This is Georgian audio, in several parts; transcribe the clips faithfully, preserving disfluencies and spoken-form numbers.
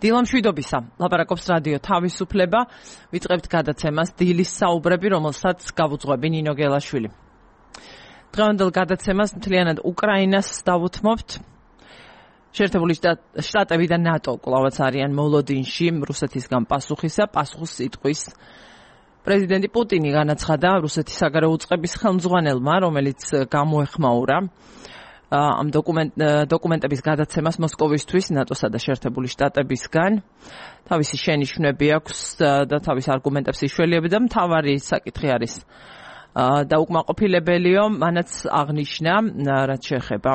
დილა მშვიდობისა, ლაპარაკობს რადიო თავისუფლება, ვიწყებთ გადაცემას დილის საუბრები, რომელსაც გავუძღვები ნინო გელაშვილი. დღევანდელ გადაცემას მთლიანად უკრაინას დავუთმობთ. შეერთებული შტატები და ნატო კვლავაც არიან მოლოდინში რუსეთისგან პასუხისა, პასუხს იტყვის პრეზიდენტი პუტინი განაცხადა რუსეთის საგარეო უწყების ხელმძღვანელმა, რომელიც გამოეხმაურა ამ დოკუმენტების გადაცემას მოსკოვისთვის ნატოსა და შეერთებული შტატებისგან. თავისი შენიშვნები აქვს და თავის არგუმენტებს იშველიება და მთავარი საკითხი არის დაუკმაყოფილებელიო, მანაც აღნიშნა, რაც შეეხება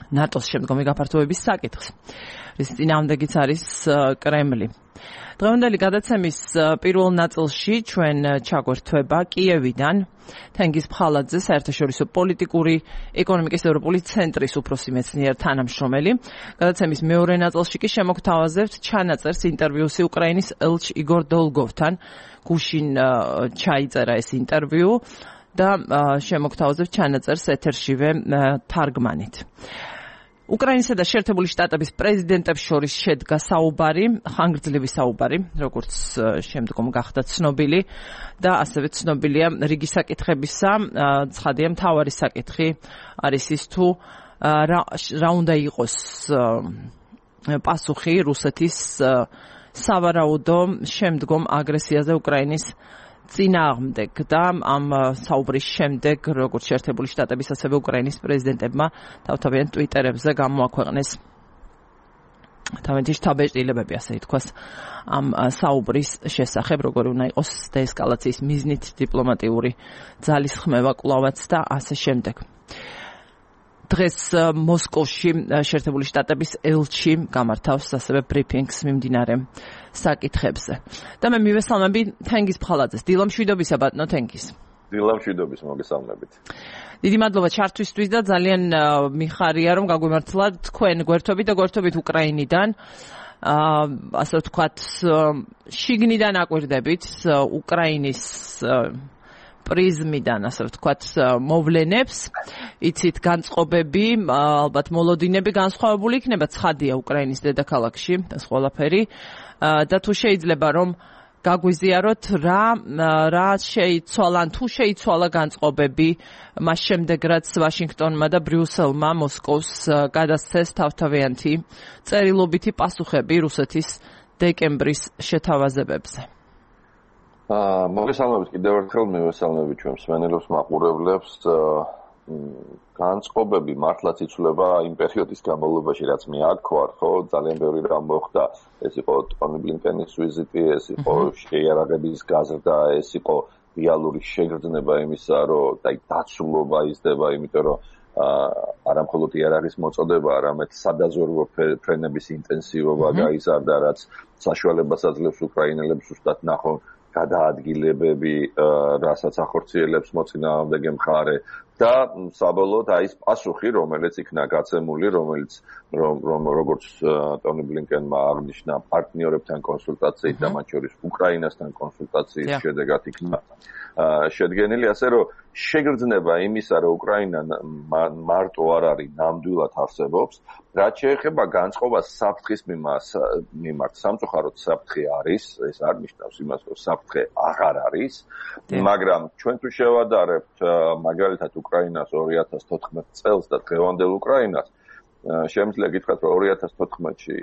ნატოს შემდგომი გაფართოების საკითხს, რის წინააღმდეგიც არის კრემლი. დღევანდელი გადაცემის პირველ ნაწილში ჩვენ ჩაგვერთვება კიევიდან თენგიზ ფხალაძე, საერთაშორისო პოლიტიკური ეკონომიკის ევროპული ცენტრის უფროსი მეცნიერ თანამშრომელი. გადაცემის მეორე ნაწილში კი შემოგთავაზებთ ჩანაწერს ინტერვიუსი უკრაინის ელჩ იგორ დოლგოვთან. გუშინ ჩაიწერა ეს ინტერვიუ და შემოგთავაზებთ ჩანაწერს ეთერშივე თარგმანით. უკრაინისა და შეერთებული შტატების პრეზიდენტებს შორის შედგა საუბარი, ხანგრძლივი საუბარი, როგორც შემდგომ გახდა ცნობილი და ასევე ცნობილია რიგი საკითხებისა. ცხადია, მთავარი საკითხი არის ის თუ რა უნდა იყოს პასუხი რუსეთის სავარაუდო შემდგომ აგრესიაზე უკრაინის წინააღმდეგ და ამ საუბრის შემდეგ როგორც შეერთებული შტატების ასევე უკრაინის პრეზიდენტებმა თავთავიან ტვიტერებზე გამოაქვეყნეს თავენთი შთაბეჭდილებები, ასე ითქვას, ამ საუბრის შესახებ, როგორი უნდა იყოს დეესკალაციის მიზნით დიპლომატიური ძალისხმევა კვლავაც და ასე შემდეგ. დღეს მოსკოვში შეერთებული შტატების ელჩი გამართავს ასევე ბრიფინგს მიმდინარე საკითხებზე. და მე მივესალმები თენგიზ ფხალაძეს. დილა მშვიდობისა, ბატონო თენგიზ. დილა მშვიდობის, მოგესალმებით. დიდი მადლობა ჩართვისთვის და ძალიან მიხარია, რომ გაგვიმართლა თქვენ გვერდობით და გვერდობით უკრაინიდან. ასე ვთქვათ, შიგნიდან აკვირდებით უკრაინის პრიზმიდან, ასე ვთქვათ, მოვლენებს. იცით, განწყობები, ალბათ მოლოდინები განსხვავებული იქნება, ცხადია უკრაინის დედაქალაქში ეს ყველაფერი. და თუ შეიძლება რომ გაგვიზიაროთ რა რა შეიცვალა, თუ შეიცვალა განწყობები მას შემდეგ, რაც ვაშინგტონმა და ბრიუსელმა მოსკოვს გადასცეს თავთავიანთი წერილობითი პასუხები რუსეთის დეკემბრის შეთავაზებებზე. მოგესალმებით კიდევ ერთხელ, მივესალმებით ჩვენ მსმენელებს, მაყურებლებს. განწყობები მართლაც იცვლება იმ პერიოდის განმავლობაში, რაც მე აქ ვარ, ხო, ძალიან ბევრი რამ მოხდა. ეს იყო ტონი ბლინკენის ვიზიტი, ეს იყო შეიარაღების გაზრდა, ეს იყო რეალური შეგრძნება იმისა, რომ და დაცულობა იზრდება, იმიტომ რომ არა მხოლოდ იარაღის მოწოდება, არამედ სადაზვერვო ფრენების ინტენსივობა გაიზარდა, რაც საშუალებას აძლევს უკრაინელებს ზუსტად ნახონ გადაადგილებები, რასაც ახორციელებს მოწინააღმდეგე მხარე და საბოლოოდ აი ეს პასუხი, რომელიც იქნა გაცემული, რომელიც რომ როგორც ტონი ბლინკენმა აღნიშნა პარტნიორებთან კონსულტაციით და მათ შორის უკრაინასთან კონსულტაციის შედეგად იქნა შედგენილი, ასე რომ შეგრძნება იმისა, რომ უკრაინა მარტო არ არის, ნამდვილად არსებობს. რაც შეეხება განწყობას საფრთხის მიმართ, სამწუხაროდ საფრთხე არის, ეს არ ნიშნავს იმას, რომ საფრთხე აღარ არის, მაგრამ ჩვენ თუ შევადარებთ მაგალითად უკრაინას ორი ათას თოთხმეტ წელს და დღევანდელ უკრაინას, შემიძლია გითხრათ, რომ ორი ათას თოთხმეტში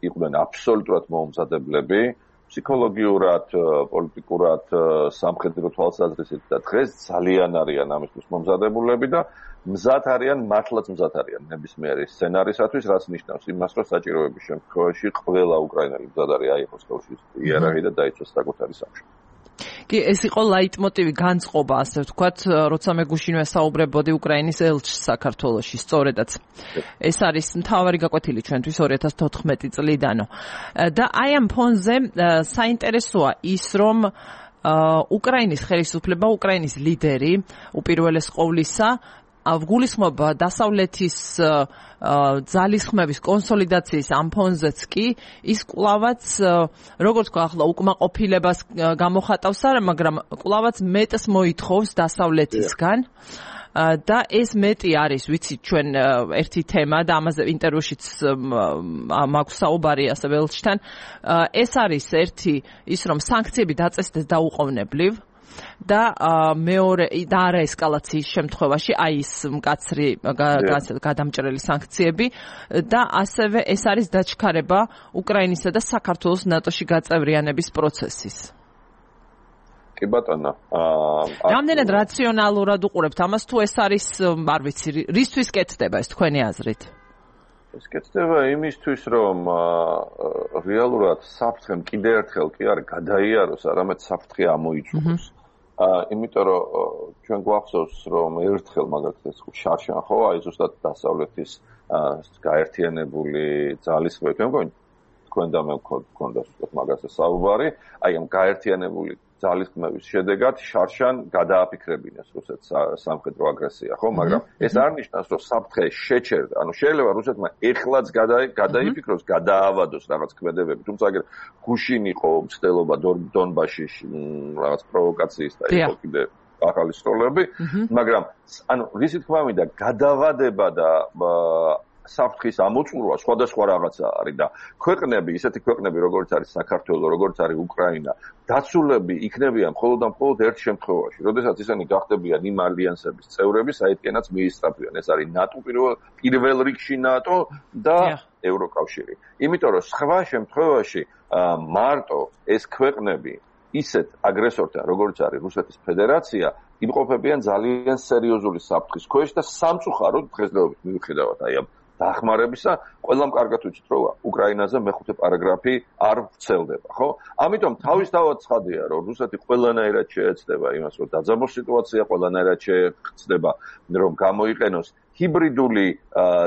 იყვნენ აბსოლუტურად მოუმზადებლები, ფსიქოლოგიურად, პოლიტიკურად, სამხედრო თვალსაზრისით და დღეს ძალიან არიან ამისთვის მომზადებულები და მზად არიან, მართლაც მზად არიან ნებისმიერი სცენარისათვის, რაც ნიშნავს იმას, რომ საჭიროების შემთხვევაში ყველა უკრაინელი მზად არის აიღოს ხელში იარაღი და დაიცვას საკუთარი სამშობლო. კი, ეს იყო ლაიტმოტივი, განწყობა, ასე ვთქვათ, როცა მე გუშინვე საუბრებოდი უკრაინის ელჩს საქართველოში, სწორედაც. ეს არის მთავარი გაკვეთილი ჩვენთვის ორი ათას თოთხმეტი წლიდანო. და აი ამ ფონზე საინტერესოა ის, რომ უკრაინის ხელისუფლება, უკრაინის ლიდერი, უპირველეს ყოვლისა, გულისხმობა დასავლეთის ძალისხმების კონსოლიდაციის ამ ფონზეც კი ის კვლავაც, როგორც თქვა ახლა, უკმაყოფილებას გამოხატავს არა, მაგრამ კვლავაც მეტს მოითხოვს დასავლეთისგან და ეს მეტი არის, ვიცით, ჩვენ ერთი თემა და ამაზე ინტერვიუშიც მაქვს საუბარი ასევე ელჩთან. ეს არის ერთი ის, რომ სანქციები დაწესდეს დაუყოვნებლივ და მეორე და არა ესკალაციის შემთხვევაში, აი ის მკაცრი გადამჭრელი სანქციები და ასევე ეს არის დაჩქარება უკრაინისა და საქართველოს ნატოში გაწევრიანების პროცესის. კი ბატონო, რამდენად რაციონალურად უყურებთ ამას, თუ ეს არის, არ ვიცი, რისთვის კეთდება ეს თქვენი აზრით? ეს კეთდება იმისთვის, რომ რეალურად საფრთხემ კიდევ ერთხელ კი არ გადაიაროს, არამედ საფრთხე ამოიწუროს. იმიტომ რომ ჩვენ გვახსოვს, რომ ერთხელ მაგალითად შარშან ხო, აი ზუსტად დასავლეთის გაერთიანებული ძალისხმევით, მე მგონი თქვენ და მე გვქონდა ზუსტად მაგაზე საუბარი, აი ამ გაერთიანებული ძალისხმევის შედეგად შარშან გადააფიქრებინეს რუსეთს სამხედრო აგრესია, ხო, მაგრამ ეს არ ნიშნავს, რომ საფრთხე შეჩერდა. ანუ შეიძლება რუსეთმა ეხლაც გადაიფიქროს, გადაავადოს რაღაც ქმედებები, თუმცა აგერ გუშინ იყო მცდელობა დონბასში რაღაც პროვოკაციის და იყო კიდე ახალი სროლები, მაგრამ ანუ რისი თქმა მინდა, გადავადება და საფრთხის ამოწურვა სხვადასხვა რაღაცა არის და ქვეყნები, ისეთი ქვეყნები როგორც არის საქართველო, როგორც არის უკრაინა, დაცულები იქნებიან მხოლოდ და მხოლოდ ერთ შემთხვევაში, როდესაც ისინი გახდებიან იმ ალიანსების წევრები, საიდანაც მიისწრაფვიან. ეს არის ნატო პირველ პირველ რიგში ნატო და ევროკავშირი. იმიტომ რომ სხვა შემთხვევაში მარტო ეს ქვეყნები ისეთ აგრესორთან, როგორც არის რუსეთის ფედერაცია, იმყოფებიან ძალიან სერიოზული საფრთხის ქვეშ და სამწუხაროდ დღესდღეობით მიუხედავად აი ამ დახმარებისა, ყველამ კარგად ვიცით, რომ უკრაინაზე მეხუთე პარაგრაფი არ ვრცელდება, ხო? ამიტომ თავისთავად ცხადია, რომ რუსეთი ყველანაირად შეეცდება იმას, რომ დაძაბოს სიტუაცია, ყველანაირად შეეცდება, რომ გამოიყენოს ჰიბრიდული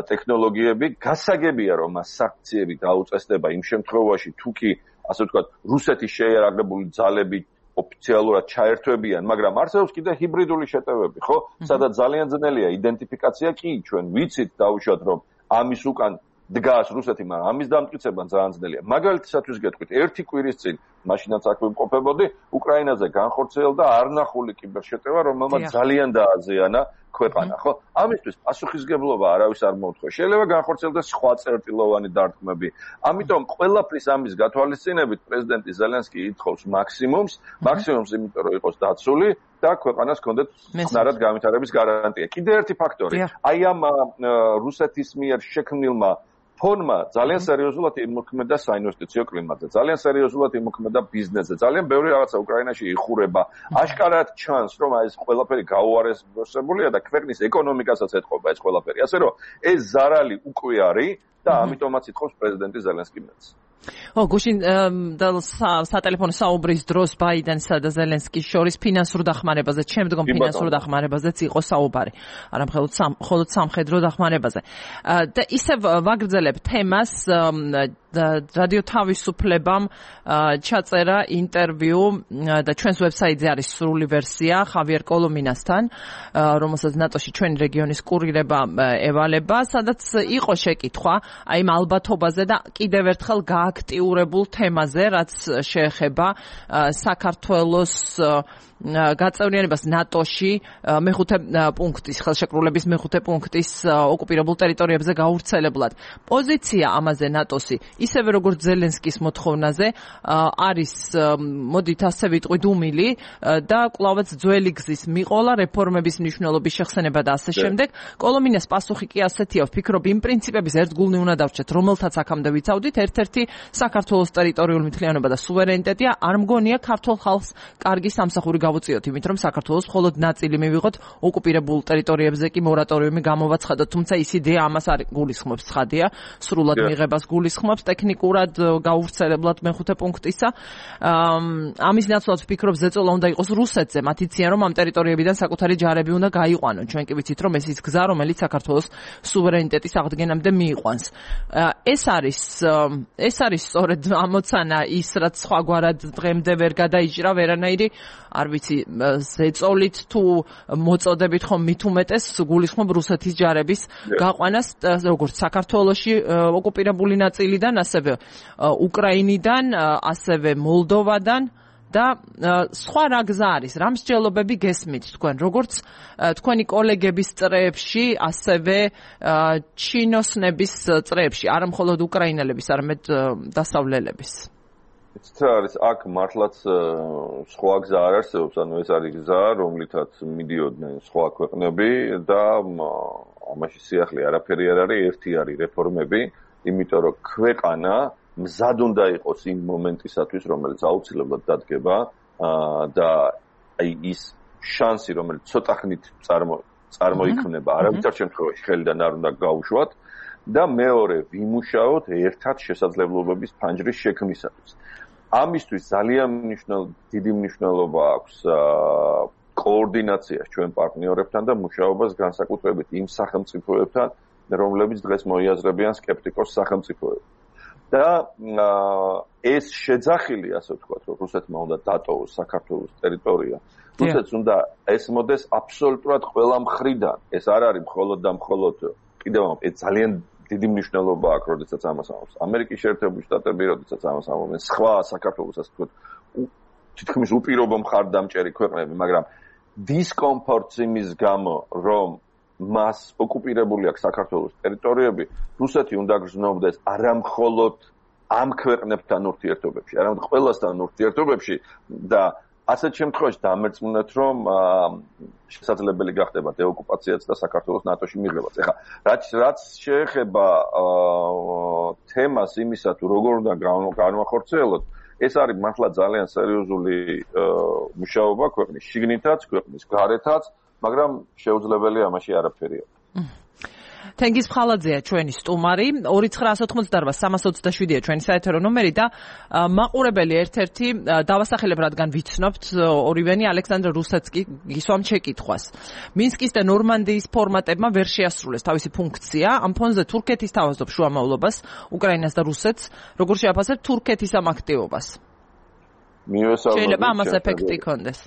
ტექნოლოგიები, გასაგებია, რომ მას სანქციები დაუწესდება იმ შემთხვევაში, თუ კი, ასე ვთქვათ, რუსეთის შეიარაღებული ძალები ოფიციალურად ჩაერთვებიან, მაგრამ არსებობს კიდე ჰიბრიდული შეტევები, ხო? სადაც ძალიან ძნელია იდენტიფიკაცია, კი, ჩვენ ვიცით დაუშვათ, რომ ამის უკან დგას რუსეთი, მაგრამ ამის დამტკიცება ძალიან ძნელია. მაგალითისათვის გეტყვით, ერთი კვირის წინ, მაშინაც აქ ვიმყოფებოდი, უკრაინაზე განხორციელდა არნახული კიბერშეტევა, რომელმაც ძალიან დააზიანა ქვეყანა, ხო? ამისთვის პასუხისგებლობა არავის არ მოუთხო. შეიძლება განხორციელდეს სხვა წერტილოვანი დარტყმები. ამიტომ ყველაფრის ამის გათვალისწინებით პრეზიდენტი ზელენსკი ითხოვს მაქსიმუმს, მაქსიმუმს იმიტომ რომ იყოს დაცული და ქვეყანას ჰქონდეთ ხნარად განვითარების გარანტია. კიდე ერთი ფაქტორი, აი ამ რუსეთის მიერ შექმნილმა ფონმა ძალიან სერიოზულად იმოქმედა საინვესტიციო კლიმატზე, ძალიან სერიოზულად იმოქმედა ბიზნესზე, ძალიან ბევრი რაღაცა უკრაინაში იხურება. აშკარად ჩანს, რომ აი ეს ყველაფერი გაუარესებულია და ქვეყნის ეკონომიკასაც ეთყობა ეს ყველაფერი. ასე რომ ეს ზარალი უკვე არის და ამიტომაც ითხოვს პრეზიდენტი ზელენსკი მეც. ო, გუშინ სატელეფონო საუბრის დროს ბაიდენსა და ზელენსკის შორის ფინანსურ დახმარებაზე, შემდგომ ფინანსურ დახმარებაზეც იყო საუბარი. არა მხოლოდ სამხედრო დახმარებაზე. და ისევ ვაგრძელებ თემას, რადიო თავისუფლებამ ჩაწერა ინტერვიუ და ჩვენს ვებსაიტზე არის სრული ვერსია ხავიერ კოლომინასთან, რომელსაც ნატოში ჩვენი რეგიონის კურირება ევალება, სადაც იყო შეკითხვა აი ამ ალბათობაზე და კიდევ ერთხელ გააქტიურებულ თემაზე, რაც შეეხება საქართველოს გაწევრიანებას ნატოში მეხუთე პუნქტის, ხელშეკრულების მეხუთე პუნქტის ოკუპირებულ ტერიტორიებზე გავრცელებლად. პოზიცია ამაზე ნატოსი, ისევე როგორც ზელენსკის მოთხოვნაზე, არის, მოდით ასე ვიტყვი, დუმილი და კვლავაც ძველი გზის მიყოლა, რეფორმების მნიშვნელობის შეხსენება და ასე შემდეგ. კოლომინას პასუხი კი ასეთია, ვფიქრობ, იმ პრინციპების ერთგულნი უნდა დავჭერთ, რომელთაც აქამდე ვიცავდით, ერთ-ერთი საქართველოს ტერიტორიული მთლიანობა და სუვერენიტეტია, არ მგონია ქართულ ხალხს კარგი სამსახური გავუწიოთ, იმით რომ საქართველოს მხოლოდ ნაწილი მივიღოთ, ოკუპირებულ ტერიტორიებზე კი მორატორიუმი გამოვაცხადოთ, თუმცა ის იდეა ამას არ გულისხმობს, ცხადია, სრულად მიღებას გულისხმობს, ტექნიკურად გაუვრცელებლად მეხუთე პუნქტისა. ამის ნაცვლად ვფიქრობ, ზეწოლა უნდა იყოს რუსეთზე, მათ იციან, რომ ამ ტერიტორიებიდან საკუთარი ჯარები უნდა გაიყვანონ. ჩვენ კი ვიცით, რომ ეს ის გზა, რომელიც საქართველოს სუვერენიტეტის აღდგენამდე მიიყვანს. ეს არის ეს არის სწორედ ამოცანა ის, რაც სხვაგვარად დღემდე ვერ გადაიჭრა ვერანაირი, არ ვიცი, ზეწოლით თუ მოწოდებით ხომ მით უმეტეს გულისხმობ რუსეთის ჯარების გაყვანას, როგორც საქართველოში ოკუპირებული ნაწილიდან, ასევე უკრაინიდან, ასევე მოლდოვადან და სხვა რა გზა არის, რა მსჯელობები გესმით თქვენ, როგორც თქვენი კოლეგების წრეებში, ასევე ჩინოსნების წრეებში, არა მხოლოდ უკრაინელების, არამედ დასავლელების. იცით რა არის, აქ მართლაც სხვა გზა არ არსებობს, ანუ ეს არის გზა, რომლითაც მიდიოდნენ სხვა ქვეყნები და ამაში სიახლე არაფერი არ არის, ერთი არის რეფორმები, იმიტომ რომ ქვეყანა მზად უნდა იყოს იმ მომენტისათვის, რომელიც აუცილებლად დადგება და აი ის შანსი, რომელიც ცოტა ხნით წარმოიქმნება, არავითარ შემთხვევაში ხელიდან არ უნდა გაუშვათ და მეორე ვიმუშაოთ ერთად შესაძლებლობების ფანჯრის შექმნისათვის. ამისთვის ძალიან დიდი მნიშვნელობა აქვს კოორდინაციას ჩვენ პარტნიორებთან და მუშაობას განსაკუთრებით იმ სახელმწიფოებთან, რომლებიც დღეს მოიაზრებიან სკეპტიკოს სახელმწიფოებს. და ეს შეძახილი, ასე ვთქვათ, რომ რუსეთმა უნდა დატოვოს საქართველოს ტერიტორია. რუსეთს უნდა ესმოდეს აბსოლუტურად ყველა მხრიდან. ეს არ არის მხოლოდ და მხოლოდ კიდევ ეს ძალიან დიდი მნიშვნელობა აქვს, როდესაც ამას ამბობს. ამერიკის შეერთებული შტატები, როდესაც ამას ამბობენ, სხვა საქართველოს, ასე ვთქვათ, თითქმის უპირობო მხარდამჭერი ქვეყნები, მაგრამ დისკომფორტს იმის გამო, რომ მას ოკუპირებული აქვს საქართველოს ტერიტორიები, რუსეთი უნდა გრძნობდეს არა მხოლოდ ამ ქვეყნებთან ურთიერთობებში, არამედ ყველასთან ურთიერთობებში და ასეთ შემთხვევაში დამერწმუნეთ, რომ შესაძლებელი გახდება დეოკუპაციაც და საქართველოს ნატოში მიღებაც. ეხლა რაც რაც შეეხება თემას იმისა, თუ როგორ უნდა განვახორციელოთ, ეს არის მართლა ძალიან სერიოზული მუშაობა ქვეყნის შიგნითაც, ქვეყნის გარეთაც, მაგრამ შეუძლებელია ამაში არაფერია. თენგიზ ფხალაძეა ჩვენი სტუმარი, ორი ცხრა ათოთხმოცდაოთხ სამას ოცდაშვიდია ჩვენი საეთერო ნომერი და მაყურებელი ერთ-ერთი დავასახელებ, რადგან ვიცნობთ, ორივენი ალექსანდრე რუსეცკი გისვამ შეკითხვას. მინსკის და ნორმანდიის ფორმატებმა ვერ შეასრულეს თავისი ფუნქცია. ამ ფონზე თურქეთი სთავაზობს შუამავლობას უკრაინას და რუსეთს. როგორ შეაფასებთ თურქეთის ამ აქტივობას? შეიძლება ამას ეფექტი იქონდეს.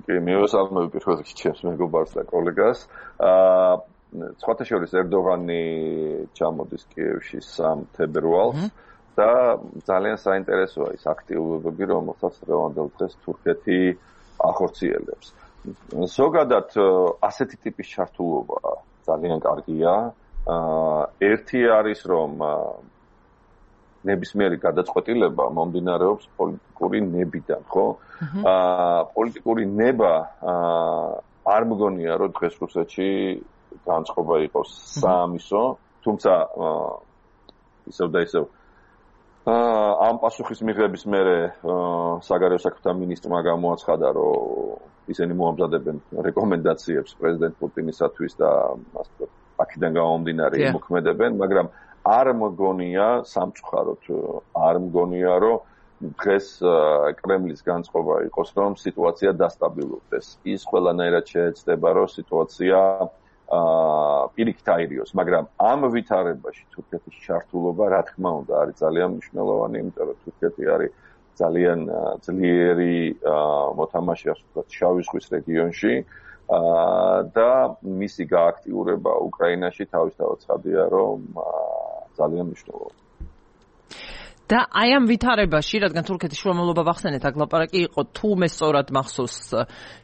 კი, მიესალმები პირველ რიგში ჩემს მეგობარს და კოლეგას. აა სხვათა შორის ერდოღანი ჩამოდის კიევში სამ თებერვალს და ძალიან საინტერესოა ის აქტივობები, რომელსაც დღევანდელ დღეს თურქეთი ახორციელებს. ზოგადად ასეთი ტიპის ჩართულობა ძალიან კარგია. ერთი არის, რომ ნებისმიერი გადაწყვეტილება მომდინარეობს პოლიტიკური ნებიდან, ხო? აა პოლიტიკური ნება არ მგონია, რომ დღეს რუსეთში განწყობა იყოს საამისო, თუმცა ისევ და ისევ ამ პასუხის მიღების მერე საგარეო საქმეთა მინისტრმა გამოაცხადა, რომ ისინი მოამზადებენ რეკომენდაციებს პრეზიდენტ პუტინისათვის და აქედან გამომდინარე იმოქმედებენ, მაგრამ არ მგონია სამწუხაროდ არ მგონია, რომ დღეს კრემლის განწყობა იყოს, რომ სიტუაცია დასტაბილურდეს. ის ყველანაირად შეეცდება, რომ სიტუაცია აა პირიქით აირიოს, მაგრამ ამ ვითარებაში თურქეთის ჩართულობა, რა თქმა უნდა, არის ძალიან მნიშვნელოვანი, იმიტომ რომ თურქეთი არის ძალიან ძლიერი მოთამაშე, ასე ვთქვათ, შავი ზღვის რეგიონში და მისი გააქტიურება უკრაინაში თავისთავად ცხადია, რომ ძალიან მნიშვნელოვანია. და აი ამ ვითარებაში, რადგან თურქეთის შუამავლობა ვახსენეთ, აქ ლაპარაკი იყო თუ მე სწორად მახსოვს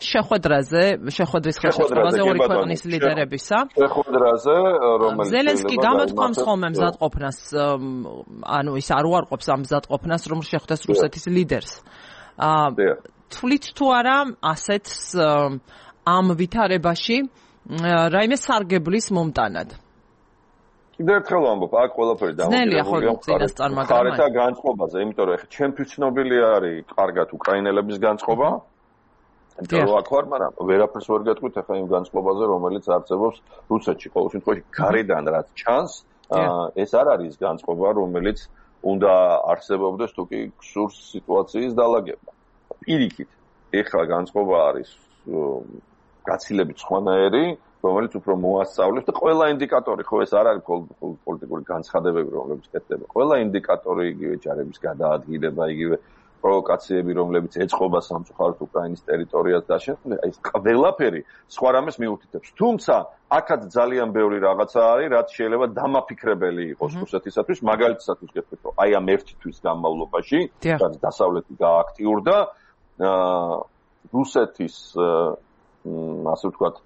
შეხვედრაზე, შეხვედრის ხელშეწყობაზე ორი ქვეყნის ლიდერებისა. შეხვედრაზე, რომელიც ზელენსკი გამოთქვამს ხოლმე მზადყოფნას, ანუ ის არ უარყოფს ამ მზადყოფნას, რომ შეხვდეს რუსეთის ლიდერს. აა თვლით თუ არა ასეთ ამ ვითარებაში რაიმე სარგებლის მომტანად? კიდევ ერთხელ ვამბობ, აქ ყველაფერი დამოკიდებულია მხარეთა განწყობაზე, იმიტომ რომ ჩემთვის ცნობილი არის კარგად უკრაინელების განწყობა, იმიტომ რომ აქ ვარ, მაგრამ ვერაფერს ვერ გეტყვით ახლა იმ განწყობაზე, რომელიც არსებობს რუსეთში. ყოველ შემთხვევაში გარედან რაც ჩანს, ეს არ არის განწყობა, რომელიც უნდა არსებობდეს თუ კი გსურს სიტუაციის დალაგება. პირიქით, ეხლა განწყობა არის გაცილებით სხვანაირი, რომელიც უფრო მოასწავლებს და ყველა ინდიკატორი, ხო ეს არ არის პოლიტიკური განცხადებები, რომლებიც კეთდება. ყველა ინდიკატორი იგივე ჯარების გადაადგილება, იგივე პროვოკაციები, რომლებიც ეწყობა სამწუხაროდ უკრაინის ტერიტორიას და შემდეგ, აი ეს ყველაფერი სხვა რამეს მიუთითებს. თუმცა, აქაც ძალიან ბევრი რაღაცა არის, რაც შეიძლება დამაფიქრებელი იყოს რუსეთისათვის, მაგალითად გეტყვით, რომ აი ამ ერთი თვის განმავლობაში, რაც დასავლეთი გააქტიურდა, რუსეთის ასე ვთქვათ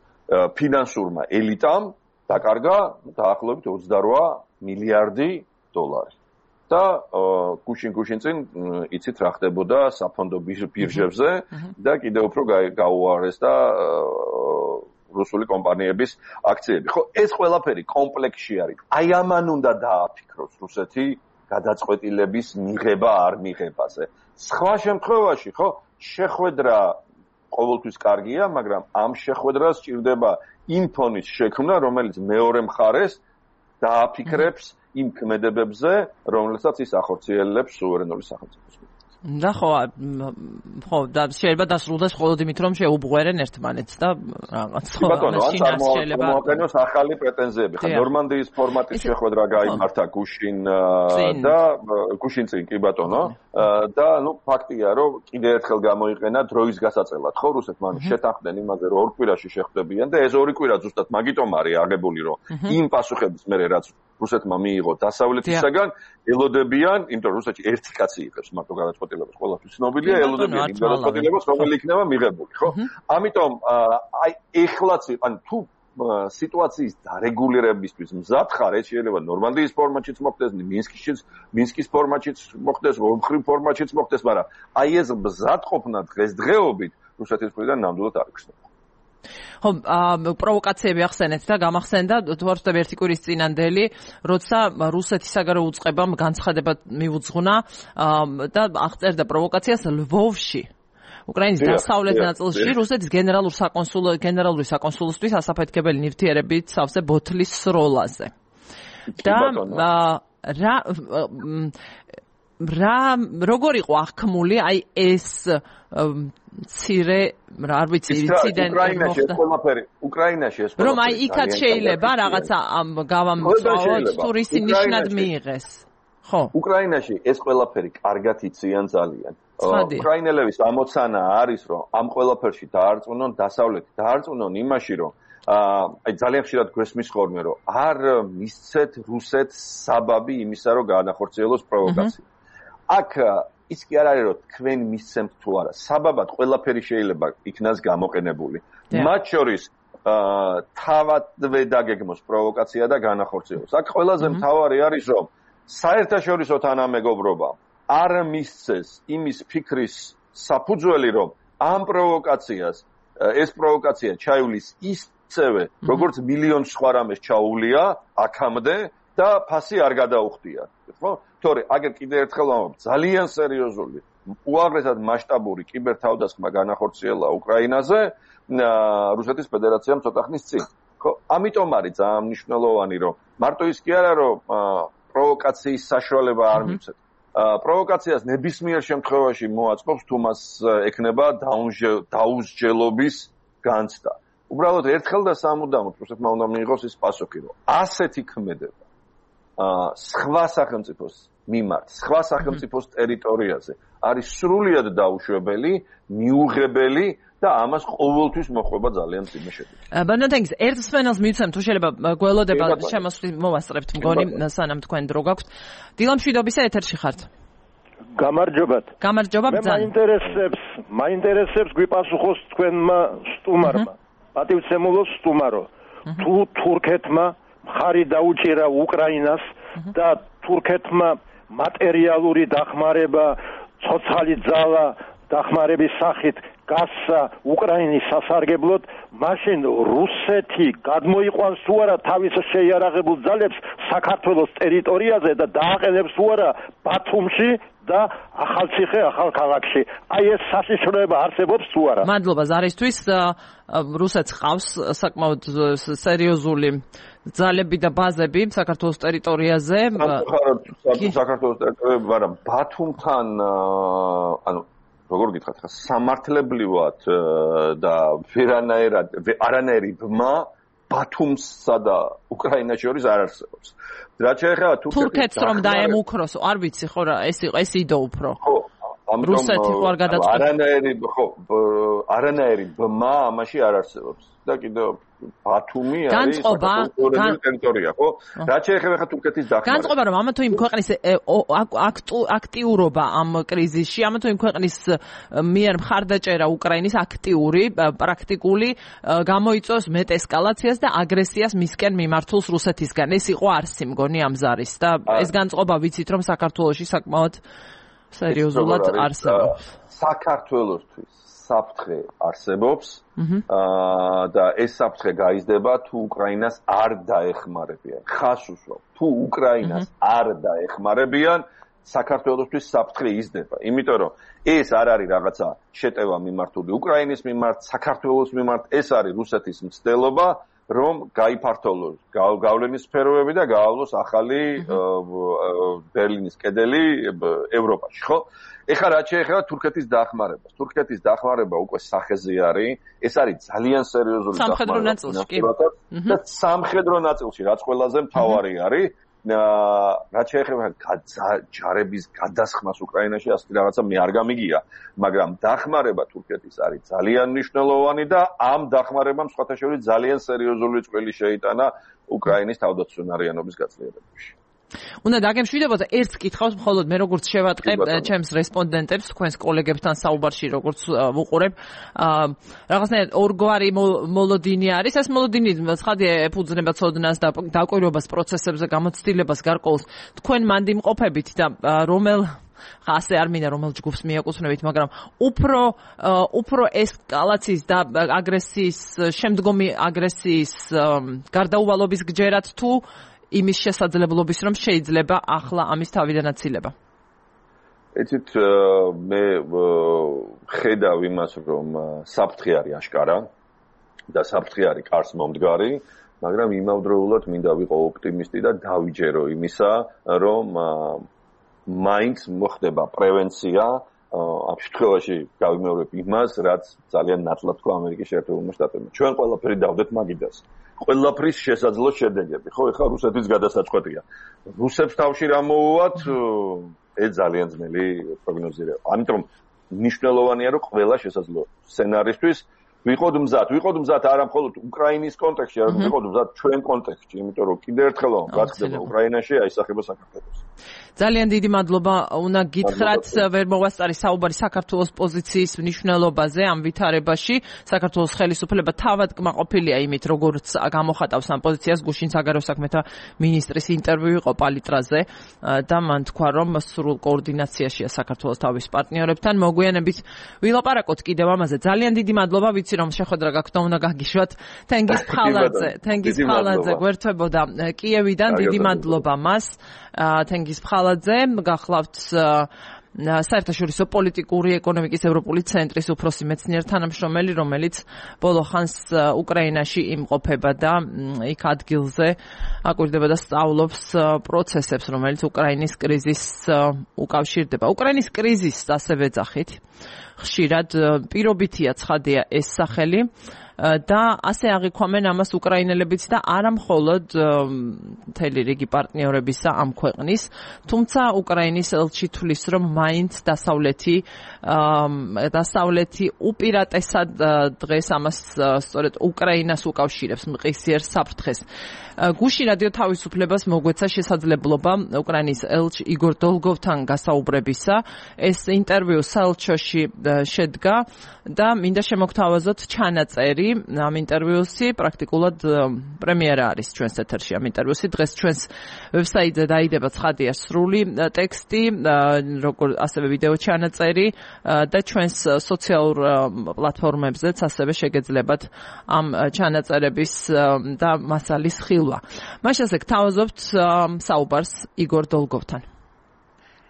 ფინანსურმა ელიტამ დაკარგა დაახლოებით ოცდარვა მილიარდი დოლარი. და გუშინ გუშინ წინ იცით რა ხდებოდა საფონდო ბირჟებზე და კიდევ უფრო გაუარეს და რუსული კომპანიების აქციები. ხო, ეს ყველაფერი კომპლექსში არის. აი ამან უნდა დააფიქროს რუსეთი გადაწყვეტილების მიღება არ მიღებაზე. სხვა შემთხვევაში, ხო, შეხვედრა ყოველთვის კარგია, მაგრამ ამ შეხვედრას სჭირდება იმ ფონის შექმნა, რომელიც მეორე მხარეს დააფიქრებს იმ ქმედებებზე, რომელსაც ის ახორციელებს სუვერენული სახელმწიფოს. და ხო, ხო, და შეიძლება დასრულდეს მხოლოდ იმით, რომ შეუბღვერენ ერთმანეთს და რაღაც ხო, შინას შეიძლება მოაყენოს ახალი პრეტენზიები. ხა ნორმანდიის ფორმატის შეხვედრა გაიმართა გუშინ და გუშინ წინ კი ბატონო და ნუ ფაქტია, რომ კიდევ ერთხელ გამოიყენა დროის გასაწელად, ხო, რუსეთმა შეთანხმდნენ იმაზე, რომ ორ კვირაში შეხვდებიან და ეს ორი კვირა ზუსტად მაგიტომ არის აღებული, რომ იმ პასუხების მერე რაც რუსეთმა მიიღო დასავლეთისაგან ელოდებიან, იმიტომ რომ რუსეთში ერთი კაცი იღებს მარტო გადაწყვეტილებას, ყველაფერს ცნობილია, ელოდებიან იმ გადაწყვეტილებას, რომელიც იქნება მიღებული, ხო? ამიტომ აი ეხლაც, ანუ თუ სიტუაციის დარეგულირებისთვის მზად ხარ, ეს შეიძლება ნორმანდიის ფორმატშიც მოხდეს, მინსკის მინსკის ფორმატშიც მოხდეს, ორმხრივ ფორმატშიც მოხდეს, მაგრამ აი ეს მზად ყოფნა დღესდღეობით რუსეთის მხრიდან ნამდვილად არ იქნება. ხო, პროვოკაციები ახსენეთ და გამახსენდა თვარწდება ერთი კვირის წინანდელი, როცა რუსეთის საგარეო უწყებამ განცხადება მიუძღვნა და აღწერდა პროვოკაციას ლვოვში. უკრაინის დასავლეთ ნაწილში რუსეთის გენერალურ საკონსულო გენერალური საკონსულოსთვის ასაფეთქებელი ნივთიერებით სავსე ბოთლის სროლაზე. და რა რა როგორ იყო აღქმული აი ეს ცირე რა არ ვიცი ინციდენტი მოხდა უკრაინაში ეს რომ აი იქაც შეიძლება რაღაცა გავამწვავოთ თუ რისი ნიშნად მიიღეს ხო უკრაინაში ეს ყველაფერი კარგად იციან ძალიან უკრაინელების ამოცანა არის რომ ამ ყველაფერში დაარწმუნონ დასავლეთი დაარწმუნონ იმაში რომ აი ძალიან ხშირად გვესმის ხოლმე რომ არ მისცეთ რუსეთს საბაბი იმისა რომ განახორციელოს პროვოკაცია აქ ის კი არ არის რომ თქვენ მისცემთ თუ არა საბაბად ყველაფერი შეიძლება იქნას გამოყენებული მათ შორის თავადვე დაგეგმოს პროვოკაცია და განახორციელოს აქ ყველაზე მთავარი არის რომ საერთაშორისო თანამეგობრობა არ მისცეს იმის ფიქრის საფუძველი რომ ამ პროვოკაციას ეს პროვოკაცია ჩაივლის ისევე როგორც მილიონ სხვა რამეს ჩაუვლია აქამდე და ფასი არ გადაუხდია ხო თორე აგერ კიდე ერთხელ ვამბობ ძალიან სერიოზული უაღრესად მასშტაბური კიბერთავდასხმა განახორციელა უკრაინაზე რუსეთის ფედერაციამ ცოტა ხნის წინ ხო ამიტომ არის ძალიან მნიშვნელოვანი რომ მარტო ის კი არა რომ პროვოკაციის საშუალება არ მიცეთ პროვოკაციას ნებისმიერ შემთხვევაში მოაწყობს თუ მას ექნება დაუსჯელობის განცდა უბრალოდ ერთხელ და სამუდამოდ რუსეთმა უნდა მიიღოს ის პასუხი რომ ასეთი ქმედება სხვა სახელმწიფოს მიმართ, სხვა სახელმწიფოს ტერიტორიაზე არის სრულიად დაუშვებელი, მიუღებელი და ამას ყოველთვის მოხვება ძალიან მძიმე შედეგი. ბანანტენგის ერთ სვენელს მივცემ თუ შეიძლება გველოდება შემოსვლით მოვასწრებთ მგონი სანამ თქვენ დრო გაქვთ. დილამშვიდობისა ეთერში ხართ. გამარჯობათ. გამარჯობა ბრძან. მაინტერესებს, მაინტერესებს გვიპასუხოს თქვენმა სტუმარმა. პატივცემულოს სტუმარო. თუ თურქეთმა მხარი დაუჭირა უკრაინას და თურქეთმა მატერიალური დახმარება, ცოცხალი ძალა დახმარების სახით გასცა უკრაინის სასარგებლოდ, მაშინ რუსეთი გადმოიყვანს თუ არა თავის შეიარაღებულ ძალებს საქართველოს ტერიტორიაზე და დააყენებს თუ არა ბათუმში და ახალციხე ახალქალაქში. აი ეს საშიშროება არსებობს თუ არა? მადლობა ზარისთვის. რუსეთს ყავს საკმაოდ სერიოზული ძალები და ბაზები საქართველოს ტერიტორიაზე. საქართველოს ტერიტორიაზე, მაგრამ ბათუმთან ანუ როგორ გითხრათ ხა სამართლებრივად და ვერანაირად არანაირი ბმა ბათუმსა და უკრაინას შორის არ არსებობს. რაც შეეხება თურქეთს რომ დაემუქროს, არ ვიცი ხო რა, ეს ეს იდო უფრო. ხო, რუსეთი ხო არ გადაწყვეტს? არანაირი ხო არანაირი ბმა ამაში არ არსებობს და კიდევ ბათუმი არის საკონტროლო ტერიტორია, ხო? რაც შეეხება ხა თურქეთის დახმარებას. განწყობა რომ ამა თუ იმ ქვეყნის აქტიურობა ამ კრიზისში, ამა თუ იმ ქვეყნის მიერ მხარდაჭერა უკრაინის აქტიური, პრაქტიკული გამოიწვევს მეტ ესკალაციას და აგრესიას მისკენ მიმართულს რუსეთისგან. ეს იყო არსი მგონი ამ ზარის და ეს განწყობა ვიცით რომ საქართველოში საკმაოდ სერიოზულად არსებობს. საქართველოსთვის საფრთხე არსებობს და ეს საფრთხე გაიზრდება თუ უკრაინას არ დაეხმარებიან. ხას უსვამ, თუ უკრაინას არ დაეხმარებიან, საქართველოსთვის საფრთხე იზრდება. იმიტომ რომ ეს არ არის რაღაცა შეტევა მიმართული უკრაინის მიმართ, საქართველოს მიმართ, ეს არის რუსეთის მცდელობა, რომ გაიფართოვოს გავლენის სფეროები და გაავლოს ახალი ბერლინის კედელი ევროპაში, ხო? ეხლა რაც შეეხება თურქეთის დახმარებას. თურქეთის დახმარება უკვე სახეზე არის, ეს არის ძალიან სერიოზული დახმარება. და სამხედრო ნაწილში რაც ყველაზე მთავარი არის, რაც შეეხება ჯარების გადასხმას უკრაინაში, ასეთი რაღაცა მე არ გამიგია, მაგრამ დახმარება თურქეთის არის ძალიან მნიშვნელოვანი და ამ დახმარებამ სხვათა შორის ძალიან სერიოზული წვლილი შეიტანა უკრაინის თავდაცვიანობის გაძლიერებაში. უნდა დაგემშვიდობოთ ერთ კითხავს მხოლოდ მე როგორც შევატყებ ჩემს რესპონდენტებს თქვენს კოლეგებთან საუბარში როგორც ვუყურებ რაღაცნაირად ორგვარი მოლოდინი არის ეს მოლოდინი ცხადია ეფუძნება ცოდნას და დაკვირვებას პროცესებზე გამოცდილებას გარკვეულს თქვენ მანდიმყოფებით და რომელ ასე არ მინდა რომელ ჯგუფს მიაკუთვნებით მაგრამ უფრო უფრო ესკალაციის და აგრესიის შემდგომი აგრესიის გარდაუვალობის გჯერათ თუ იმის შესაძლებლობის რომ შეიძლება ახლა ამის თავიდანაცილება. ეცით მე ხედავ იმას რომ საფრთხე არის აშკარა და საფრთხე არის კარს მომდგარი, მაგრამ იმავდროულად მინდა ვიყო ოპტიმისტი და დავიჯერო იმისა, რომ მაინც მოხდება პრევენცია ამ შემთხვევაში გავიმეორებ იმას, რაც ძალიან ნათლად თქვა ამერიკის შეერთებულმა შტატებმა. ჩვენ ყველაფერი დავდეთ მაგიდას. ყველაფრის შესაძლო შედეგები, ხო, ეხლა რუსეთის გადასაწყვეტია. რუსებს თავში რა მოუვათ, ეს ძალიან ძნელი პროგნოზირება. ამიტომ მნიშვნელოვანია, რომ ყველა შესაძლო სცენარისთვის ვიყოთ მზად. ვიყოთ მზად არა მხოლოდ უკრაინის კონტექსტში, არამედ ვიყოთ მზად ჩვენ კონტექსტში, იმიტომ რომ კიდევ ერთხელ რაც ხდება უკრაინაში, აისახება საქართველოს. ძალიან დიდი მადლობა. უნდა გითხრათ, ვერ მოვასწარი საუბარი საქართველოს პოზიციის მნიშვნელობაზე ამ ვითარებაში. საქართველოს ხელისუფლება თავად კმაყოფილია იმით, როგორც გამოხატავს ამ პოზიციას გუშინ საგარეო საქმეთა მინისტრის ინტერვიუ იყო პალიტრაზე და მან თქვა, რომ სრულ კოორდინაციაშია საქართველოს თავის პარტნიორებთან. მოგვიანებით ვილაპარაკოთ კიდევ ამაზე. ძალიან დიდი მადლობა, ვიცი რომ შეხვედრა გაქვთ და უნდა გაგიშვათ. თენგიზ ფხალაძე, თენგიზ ფხალაძე გვერდთვებოდა კიევიდან. დიდი მადლობა მას. თენგიზ ფხალაძე გახლავთ საერთაშორისო პოლიტიკური ეკონომიკის ევროპული ცენტრის უფროსი მეცნიერ თანამშრომელი, რომელიც ბოლო ხანს უკრაინაში იმყოფება და იქ ადგილზე აკვირდება და სწავლობს პროცესებს, რომელიც უკრაინის კრიზისს უკავშირდება. უკრაინის კრიზისს ასე ვეძახით. ხშირად პირობითია ცხადია ეს სახელი და ასე აღიქვამენ ამას უკრაინელებიც და არა მხოლოდ მთელი რიგი პარტნიორებისა ამ ქვეყნის, თუმცა უკრაინის ელჩი თვლის, რომ მაინც დასავლეთი დასავლეთი უპირატესად დღეს ამას სწორედ უკრაინას უკავშირებს მყისიერ საფრთხეს. გუში რადიო თავისუფლებას მოგვეცა შესაძლებლობა უკრაინის ელჩ იგორ დოლგოვთან გასაუბრებისა. ეს ინტერვიუ საელჩოში შედგა და მინდა შემოგთავაზოთ ჩანაწერი ამ ინტერვიუსი, პრაქტიკულად პრემიერა არის ჩვენს ეთერში ამ ინტერვიუსი. დღეს ჩვენს ვებსაიტზე დაიდება ცხადია სრული ტექსტი, როგორ ასევე ვიდეო ჩანაწერი და ჩვენს სოციალურ პლატფორმებზეც ასევე შეგეძლებათ ამ ჩანაწერების და მასალის ხილვა. მაშასე გთავაზობთ საუბარს იგორ დოლგოვთან.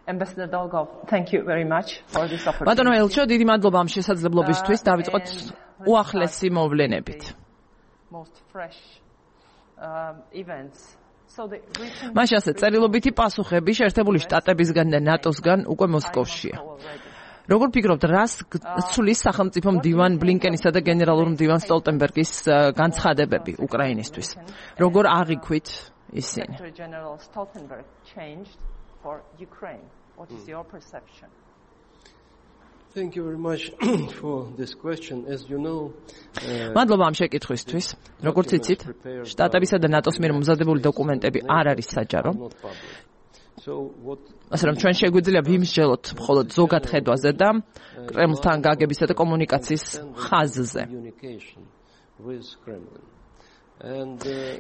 Ambassador Dolgov, thank you very much for this opportunity. ბატონო ელჩო, დიდი მადლობა ამ შესაძლებლობისთვის. დავიწყოთ უახლესი მოვლენებით. Most fresh events. მაშასე წერილობითი პასუხები შეერთებული შტატებისგან და ნატოსგან უკვე მოსკოვშია. როგორ ფიქრობთ, რას ცulis სახელმწიფო მდივან ბლინკენისა და გენერალურ მდივან სტოლტენბერგის განცხადებები უკრაინისთვის? როგორ აღიქვით ისინი? For Ukraine, what is your perception? Thank you very much for this question. As you know, მადლობა ამ შეკითხვისთვის. როგორც იცით, შტატებისა და ნატოს მიერ მომზადებული დოკუმენტები არ არის საჯარო. ასე რომ ჩვენ შეგვიძლია ვიმსჯელოთ მხოლოდ ზოგად ხედვაზე და კრემლთან გაგებისა და კომუნიკაციის ხაზზე.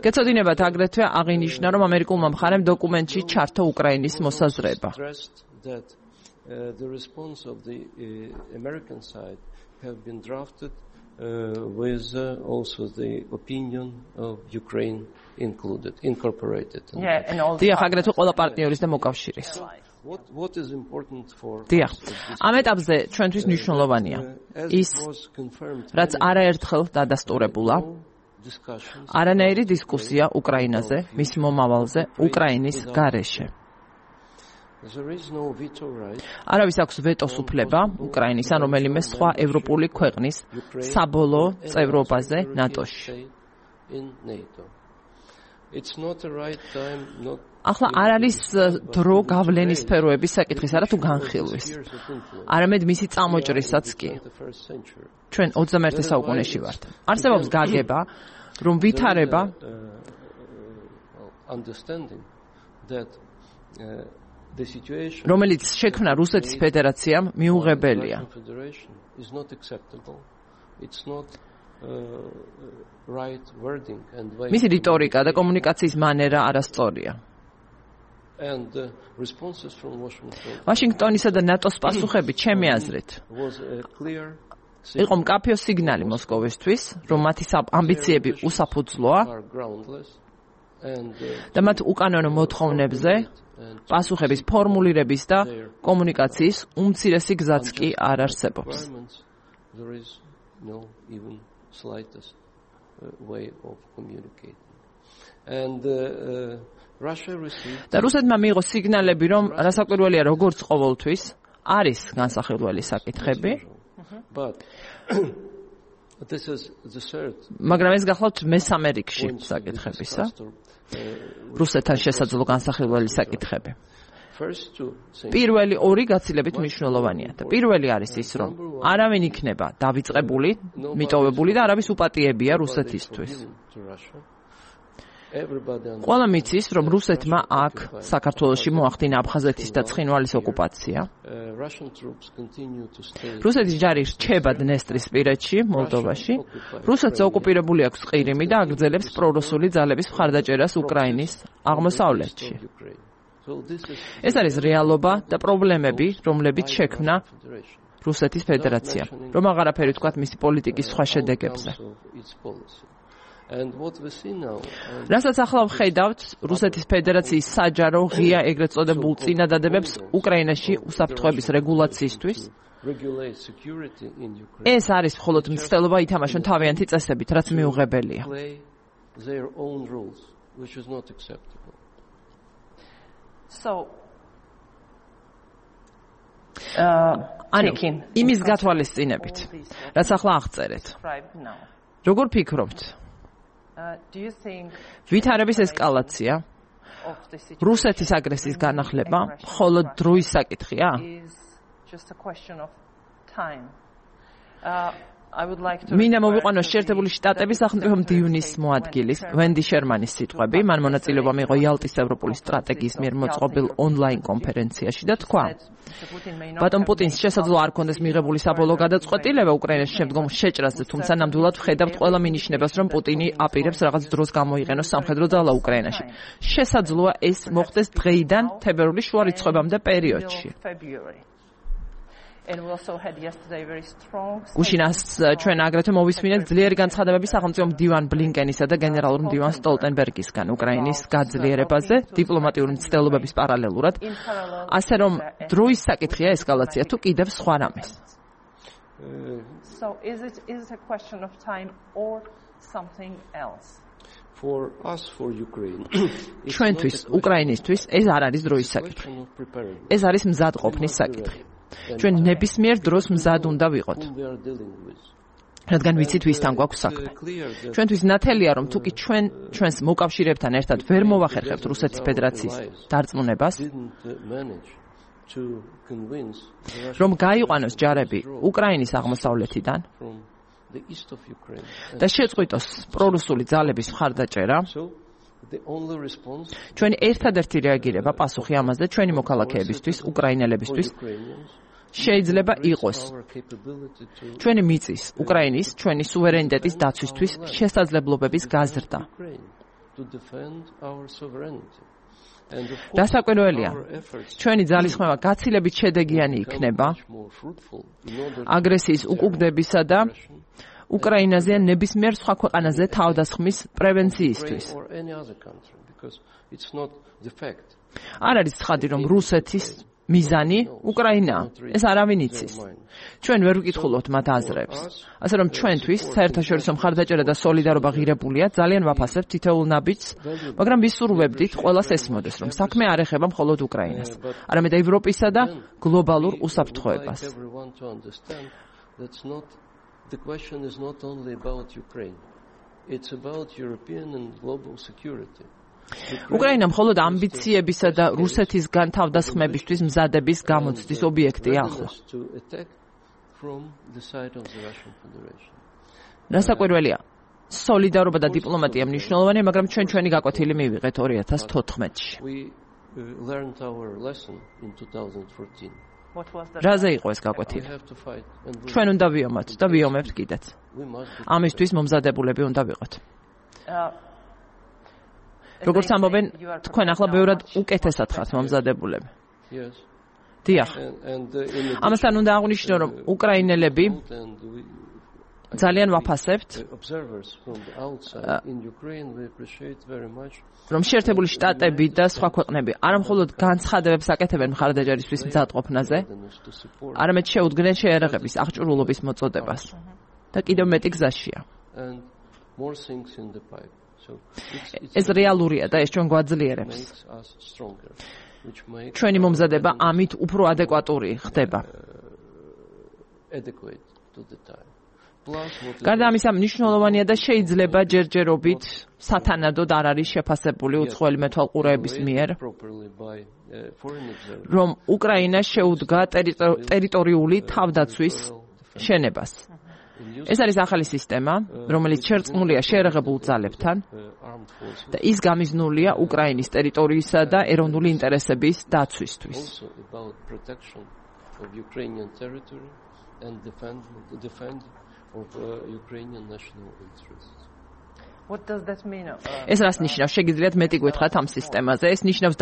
გეცოდინებათ აგრეთვე აღინიშნა, რომ ამერიკულმა მხარემ დოკუმენტში ჩართო უკრაინის მოსაზრება. Uh, the response of the uh, American side have been drafted uh, with uh, also the opinion of Ukraine included, incorporated. Yeah, and also დიახ, აგრეთვე ყველა პარტნიორის და მოკავშირის. What what is important for დიახ, ამ ეტაპზე ჩვენთვის მნიშვნელოვანია ის, რაც არაერთხელ დადასტურებულა, არანაირი დისკუსია უკრაინაზე, მის მომავალზე, უკრაინის გარეშე. არავის აქვს ვეტოს უფლება უკრაინის ან რომელიმე სხვა ევროპული ქვეყნის საბოლოო წევრობაზე ნატოში. ახლა არ არის დრო გავლენის სფეროების საკითხისა რა თუ განხილვის. არამედ მისი წამოჭრისაც კი. ჩვენ ოცდამეერთე საუკუნეში ვართ. არსებობს გაგება, რომ ვითარება რომელიც შექმნა რუსეთის ფედერაციამ მიუღებელია. მისი რიტორიკა და კომუნიკაციის მანერა არასწორია. ვაშინგტონისა და ნატოს პასუხები ჩემი აზრით იყო მკაფიო სიგნალი მოსკოვისთვის, რომ მათი ამბიციები უსაფუძვლოა და მათ უკანონო მოთხოვნებზე პასუხების ფორმულირების და კომუნიკაციის უმცირესი გზაც კი არ არსებობს. და რუსეთმა მიიღო სიგნალები, რომ რასაკვირველია, როგორც ყოველთვის არის განსახილველი საკითხები, მაგრამ ეს გახლავთ მესამე რიგში საკითხებისა. რუსეთთან შესაძლო განსახილველი საკითხები. პირველი ორი გაცილებით მნიშვნელოვანია და პირველი არის ის, რომ არავინ იქნება დავიწყებული, მიტოვებული და არავის უპატიებია რუსეთისთვის. ყველა მიცის, რომ რუსეთმა აქ საქართველოში მოახდინა აფხაზეთის და ცხინვალის ოკუპაცია. რუსეთის ჯარი რჩება დნესტრისპირეთში, მოლდოვაში. რუსეთს ოკუპირებული აქვს ყირიმი და აგრძელებს პრორუსული ძალების მხარდაჭერას უკრაინის აღმოსავლეთში. ეს არის რეალობა და პრობლემები, რომლებიც შექმნა რუსეთის ფედერაცია, რომ აღარაფერი თქვათ მისი პოლიტიკის სხვა შედეგებზე. რასაც ახლა ვხედავთ, რუსეთის ფედერაციის საჯარო ღია ეგრეთ წოდებულ წინადადებებს უკრაინაში უსაფრთხოების რეგულაციისთვის. ეს არის მხოლოდ მცდელობა ითამაშონ თავიანთი წესებით, რაც მიუღებელია. ანიკინ, იმის გათვალისწინებით, რაც ახლა აღწერეთ. როგორ ფიქრობთ? ვითარების ესკალაცია, რუსეთის აგრესიის განახლება, მხოლოდ დროის საკითხია? მინდა მოვიყვანო შეერთებული შტატების სახელმწიფო მდივნის მოადგილის ვენდი შერმანის სიტყვები, მან მონაწილეობა მიიღო იალტის ევროპული სტრატეგიის მიერ მოწყობილ ონლაინ კონფერენციაში და თქვა: ბატონ პუტინს შესაძლოა არ ქონდეს მიღებული საბოლოო გადაწყვეტილება უკრაინის შემდგომ შეჭრაზე, თუმცა ნამდვილად ვხედავთ ყველა მინიშნებას, რომ პუტინი აპირებს რაღაც დროს გამოიყენოს სამხედრო ძალა უკრაინაში. შესაძლოა ეს მოხდეს დღეიდან თებერვლის შუა რიცხვებამდე პერიოდში. გუშინას ჩვენ აგრეთვე მოვისმინეთ ძლიერი განცხადებები სახელმწიფო მდივან ბლინკენისა და გენერალურ მდივან სტოლტენბერგისგან უკრაინის გაძლიერებაზე დიპლომატიური მცდელობების პარალელურად, ასე რომ დროის საკითხია ესკალაცია თუ კიდევ სხვა რამეს. ჩვენთვის, უკრაინისთვის ეს არ არის დროის საკითხი. ეს არის მზადყოფნის საკითხი. ჩვენ ნებისმიერ დროს მზად უნდა ვიყოთ. რადგან ვიცით ვისთან გვაქვს საქმე. ჩვენთვის ნათელია, რომ თუკი ჩვენ ჩვენს მოკავშირეებთან ერთად ვერ მოვახერხებთ რუსეთის ფედერაციის დარწმუნებას, რომ გაიყვანოს ჯარები უკრაინის აღმოსავლეთიდან და შეწყვიტოს პრორუსული ძალების მხარდაჭერა, ჩვენი ერთადერთი რეაგირება პასუხი ამაზე ჩვენი მოქალაქეებისთვის, უკრაინელებისთვის შეიძლება იყოს ჩვენი მიწის, უკრაინის, ჩვენი სუვერენიტეტის დაცვისთვის შესაძლებლობების გაზრდა. დასაკვირველია, ჩვენი ძალისხმევა გაცილებით შედეგიანი იქნება აგრესიის უკუგდებისა და უკრაინაზე ან ნებისმიერ სხვა ქვეყანაზე თავდასხმის პრევენციისთვის. არ არის ცხადი, რომ რუსეთის მიზანი უკრაინაა. ეს არავინ იცის. ჩვენ ვერ ვკითხულობთ მათ აზრებს. ასე რომ ჩვენთვის საერთაშორისო მხარდაჭერა და სოლიდარობა ღირებულია, ძალიან ვაფასებთ თითოეულ ნაბიჯს, მაგრამ ვისურვებდით ყველას ესმოდეს, რომ საქმე არ ეხება მხოლოდ უკრაინას, არამედ ევროპისა და გლობალურ უსაფრთხოებას. The question is not only about Ukraine. It's about European and global security. უკრაინა მხოლოდ ამბიციებისა და რუსეთისგან თავდასხმებისთვის მზადების გამოცდის ობიექტია ახლა. დასაკვირველია, სოლიდარობა და დიპლომატია მნიშვნელოვანია, მაგრამ ჩვენ ჩვენი გაკვეთილი მივიღეთ ორი ათას თოთხმეტში. რაზე იყო ეს გაკვეთილი? ჩვენ უნდა ვიომოთ და ვიომებთ კიდეც. ამისთვის მომზადებულები უნდა ვიყოთ. როგორც ამბობენ, თქვენ ახლა ბევრად უკეთესად ხართ მომზადებულები. დიახ. ამასთან უნდა აღვნიშნო, რომ უკრაინელები ძალიან ვაფასებთ, რომ შეერთებული შტატები და სხვა ქვეყნები არა მხოლოდ განცხადებებს აკეთებენ მხარდაჭერისთვის მზადყოფნაზე, არამედ შეუდგნენ შეერაღების აღჭურვილობის მოწოდებას და კიდევ მეტი გზაშია. ეს რეალურია და ეს ჩვენ გვაძლიერებს. ჩვენი მომზადება ამით უფრო ადეკვატური ხდება. გარდა ამისა, მნიშვნელოვანია და შეიძლება ჯერჯერობით სათანადოდ არ არის შეფასებული უცხოელი მეთვალყურეების მიერ, რომ უკრაინა შეუდგა ტერიტორიული თავდაცვის შენებას. ეს არის ახალი სისტემა, რომელიც შერწყმულია შეერაღებულ ძალებთან და ის გამიზნულია უკრაინის ტერიტორიისა და ეროვნული ინტერესების დაცვისთვის. Of uh, Ukrainian national interests. What does that mean? ეს რას ნიშნავს? შეგიძლიათ მეტი გითხრათ ამ სისტემაზე? ეს ნიშნავს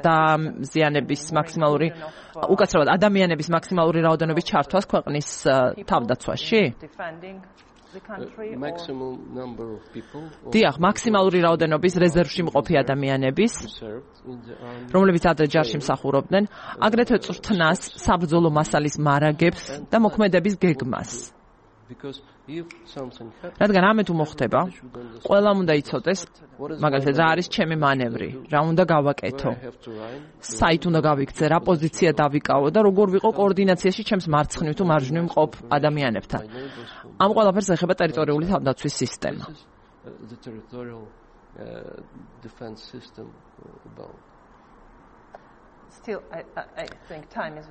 დაზიანების მაქსიმალური, უკაცრავად ადამიანების მაქსიმალური რაოდენობის ჩართვას ქვეყნის თავდაცვაში? დიახ, მაქსიმალური რაოდენობის რეზერვში მყოფი ადამიანების, რომლებიც ადრე ჯარში მსახურობდნენ, აგრეთვე წვრთნას, საბრძოლო მასალის მარაგებს და მოქმედების გეგმას. რადგან ამე თუ მოხდება, ყველამ უნდა იცოდეს, მაგალითად, რა არის ჩემი მანევრი, რა უნდა გავაკეთო, საით უნდა გავიქცე, რა პოზიცია დავიკავო და როგორ ვიყო კოორდინაციაში ჩემს მარცხნივ თუ მარჯვნივ მყოფ ადამიანებთან. ამ ყველაფერს ეხება ტერიტორიული თავდაცვის სისტემა.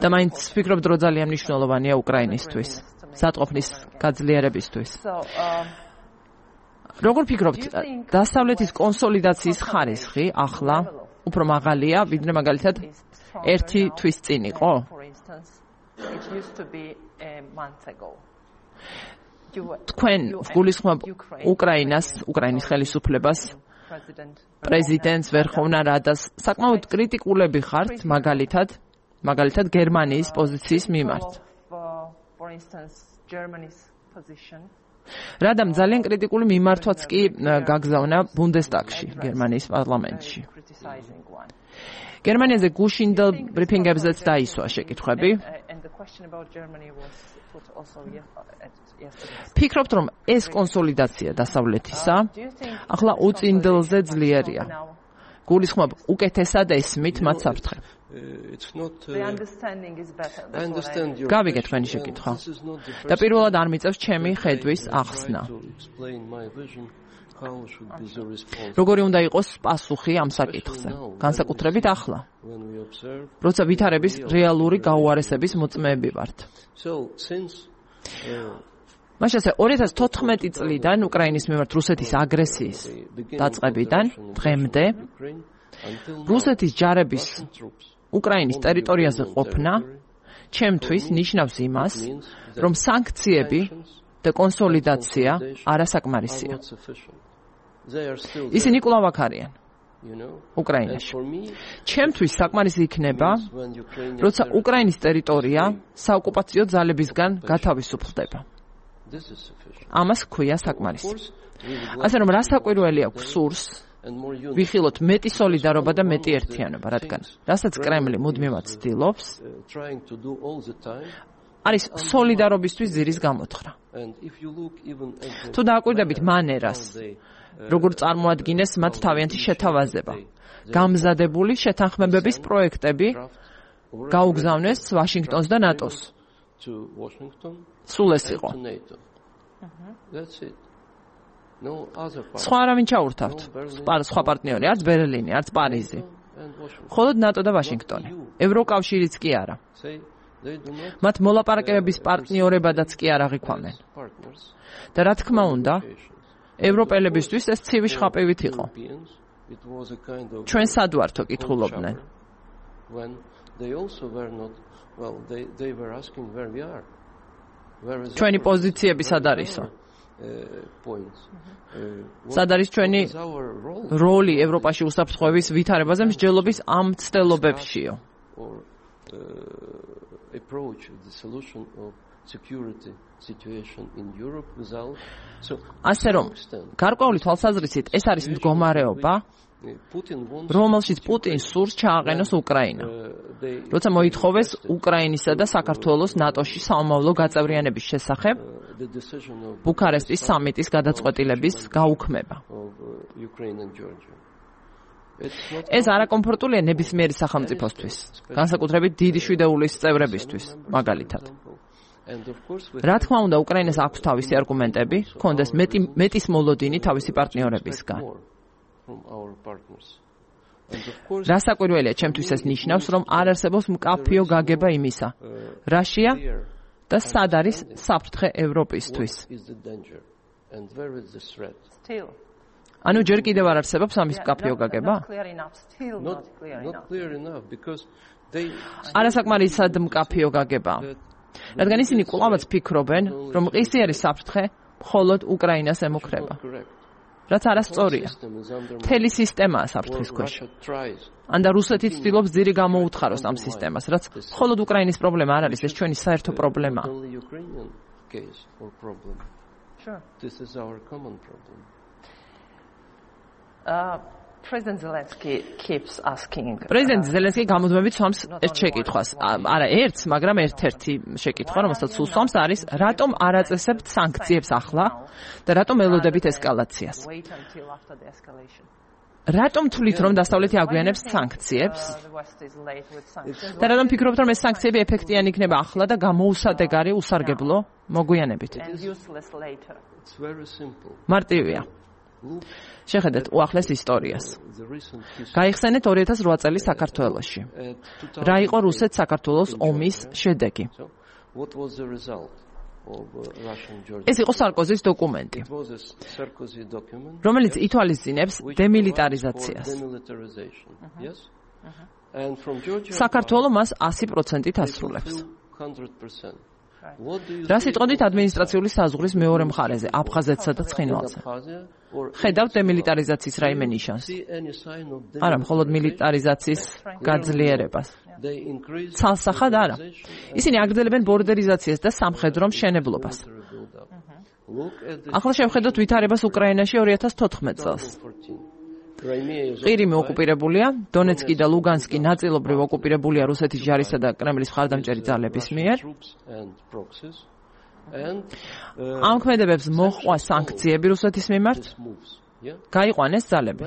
და მაინც ვფიქრობ, დრო ძალიან მნიშვნელოვანია უკრაინისთვის, სატყოფნის გაძლიერებისთვის. როგორ ფიქრობთ, დასავლეთის კონსოლიდაციის ხარისხი ახლა უფრო მაღალია, ვიდრე მაგალითად ერთი თვის წინ იყო? თქვენ გულისხმობ უკრაინას, უკრაინის ხელისუფლებას, პრეზიდენტს, ვერხოვნა რადას საკმაოდ კრიტიკულები ხართ, მაგალითად, მაგალითად გერმანიის პოზიციის მიმართ. რადამ ძალიან კრიტიკული მიმართვაც კი გაგზავნა ბუნდესტაგში, გერმანიის პარლამენტში. გერმანიაზე გუშინდელ ბრიფინგებზეც დაისვა შეკითხვები. ფიქრობთ, რომ ეს კონსოლიდაცია დასავლეთისა ახლა უწინდელზე ძლიერია. გულისხმობ უკეთესად ესმით მათ საფრთხე. გავიგეთ თქვენი შეკითხვა. და პირველად არ მიწევს ჩემი ხედვის ახსნა. how should be the response? როგორი უნდა იყოს პასუხი ამ საკითხზე? განსაკუთრებით ახლა, When we observe, როცა ვითარების რეალური გაუარესების მოწმეები ვართ. so since uh, მაშასე ორი ათას თოთხმეტი წლიდან უკრაინის მიმართ რუსეთის აგრესიის დაწყებიდან დღემდე რუსეთის ჯარების უკრაინის ტერიტორიაზე ყოფნა ჩემთვის ნიშნავს იმას, რომ სანქციები და კონსოლიდაცია არასაკმარისია. ისინი კვლავ აქ არიან უკრაინაში. ჩემთვის საკმარისი იქნება, როცა უკრაინის ტერიტორია საოკუპაციო ძალებისგან გათავისუფლდება. ამას ქვია საკმარისი. ასე რომ რასაკვირველი აქვს სურს ვიხილოთ მეტი სოლიდარობა და მეტი ერთიანობა, რადგან რასაც კრემლი მუდმივად ცდილობს, არის სოლიდარობისთვის ძირის გამოთხრა. თუ დააკვირდებით მანერას, როგორ წარმოადგინეს მათ თავიანთი შეთავაზება, გამზადებული შეთანხმებების პროექტები გაუგზავნეს ვაშინგტონს და ნატოს. სულ ეს იყო. სხვა არავინ ჩაურთავთ. სხვა პარტნიორი, არც ბერლინი, არც პარიზი. მხოლოდ ნატო და ვაშინგტონი. ევროკავშირიც კი არა. მათ მოლაპარაკებების პარტნიორებადაც კი არ აღიქვამენ. და რა თქმა უნდა, ევროპელებისთვის ეს ცივი შხაპივით იყო. ჩვენ სად ვართო კითხულობდნენ. ჩვენი პოზიციები სად არისო? სად არის ჩვენი როლი ევროპაში უსაფრთხოების ვითარებაზე მსჯელობის ამ ცდელობებშიო? ასე რომ, გარკვეული თვალსაზრისით ეს არის მდგომარეობა, რომელშიც პუტინს სურს ჩააყენოს უკრაინა. როცა მოითხოვეს უკრაინისა და საქართველოს ნატოში საომავლო გაწევრიანების შესახებ ბუქარესტის სამიტის გადაწყვეტილების გაუქმება. ეს არაკომფორტულია ნებისმიერი სახელმწიფოსთვის, განსაკუთრებით დიდი შვიდეულის წევრებისთვის, მაგალითად. რა თქმა უნდა, უკრაინას აქვს თავისი არგუმენტები, ჰქონდეს მეტი მეტის მოლოდინი თავისი პარტნიორებისგან. რასაკვირველია, ჩემთვის ეს ნიშნავს, რომ არ არსებობს მკაფიო გაგება იმისა, რაშია და სად არის საფრთხე ევროპისთვის. ანუ ჯერ კიდევ არ არსებობს ამის მკაფიო გაგება? არასაკმარისად მკაფიო გაგება. რადგან ისინი კვლავაც ფიქრობენ, რომ მყისიერი საფრთხე მხოლოდ უკრაინას ემუქრება. რაც არასწორია. მთელი სისტემაა საფრთხის ქვეშ. ანდა რუსეთი ცდილობს ძირი გამოუთხაროს ამ სისტემას, რაც მხოლოდ უკრაინის პრობლემა არ არის, ეს ჩვენი საერთო პრობლემაა. President Zelensky keeps asking. პრეზიდენტ ზელენსკი გამუდმებით სვამს ერთ შეკითხვას. არა ერთს, მაგრამ ერთ-ერთი შეკითხვა, რომელსაც სულ სვამს, არის რატომ არ აწესებთ სანქციებს ახლა და რატომ ელოდებით ესკალაციას? რატომ თვლით, რომ დასავლეთი აგვიანებს სანქციებს? და რატომ ფიქრობთ, რომ ეს სანქციები ეფექტიანი იქნება ახლა და გამოუსადეგარი უსარგებლო მოგვიანებით? მარტივია. შეხედეთ უახლეს ისტორიას. გაიხსენეთ ორი ათას რვა წელი საქართველოში. რა იყო რუსეთ-საქართველოს ომის შედეგი? ეს იყო სარკოზის დოკუმენტი, რომელიც ითვალისწინებს დემილიტარიზაციას. საქართველო მას ასი პროცენტით ასრულებს. რა სიტყვით ადმინისტრაციული საზღვრის მეორე მხარეზე, აფხაზეთსა და ცხინვალზე? ხედავთ დემილიტარიზაციის რაიმე ნიშანს? არა, მხოლოდ მილიტარიზაციის გაძლიერებას. ცალსახად არა. ისინი აგრძელებენ ბორდერიზაციას და სამხედრო მშენებლობას. ახლა შევხედოთ ვითარებას უკრაინაში ორი ათას თოთხმეტ წელს. ყირიმი ოკუპირებულია, დონეცკი და ლუგანსკი ნაწილობრივ ოკუპირებულია რუსეთის ჯარისა და კრემლის მხარდამჭერი ძალების მიერ. ამ ქმედებებს მოჰყვა სანქციები რუსეთის მიმართ. გაიყვანეს ძალები.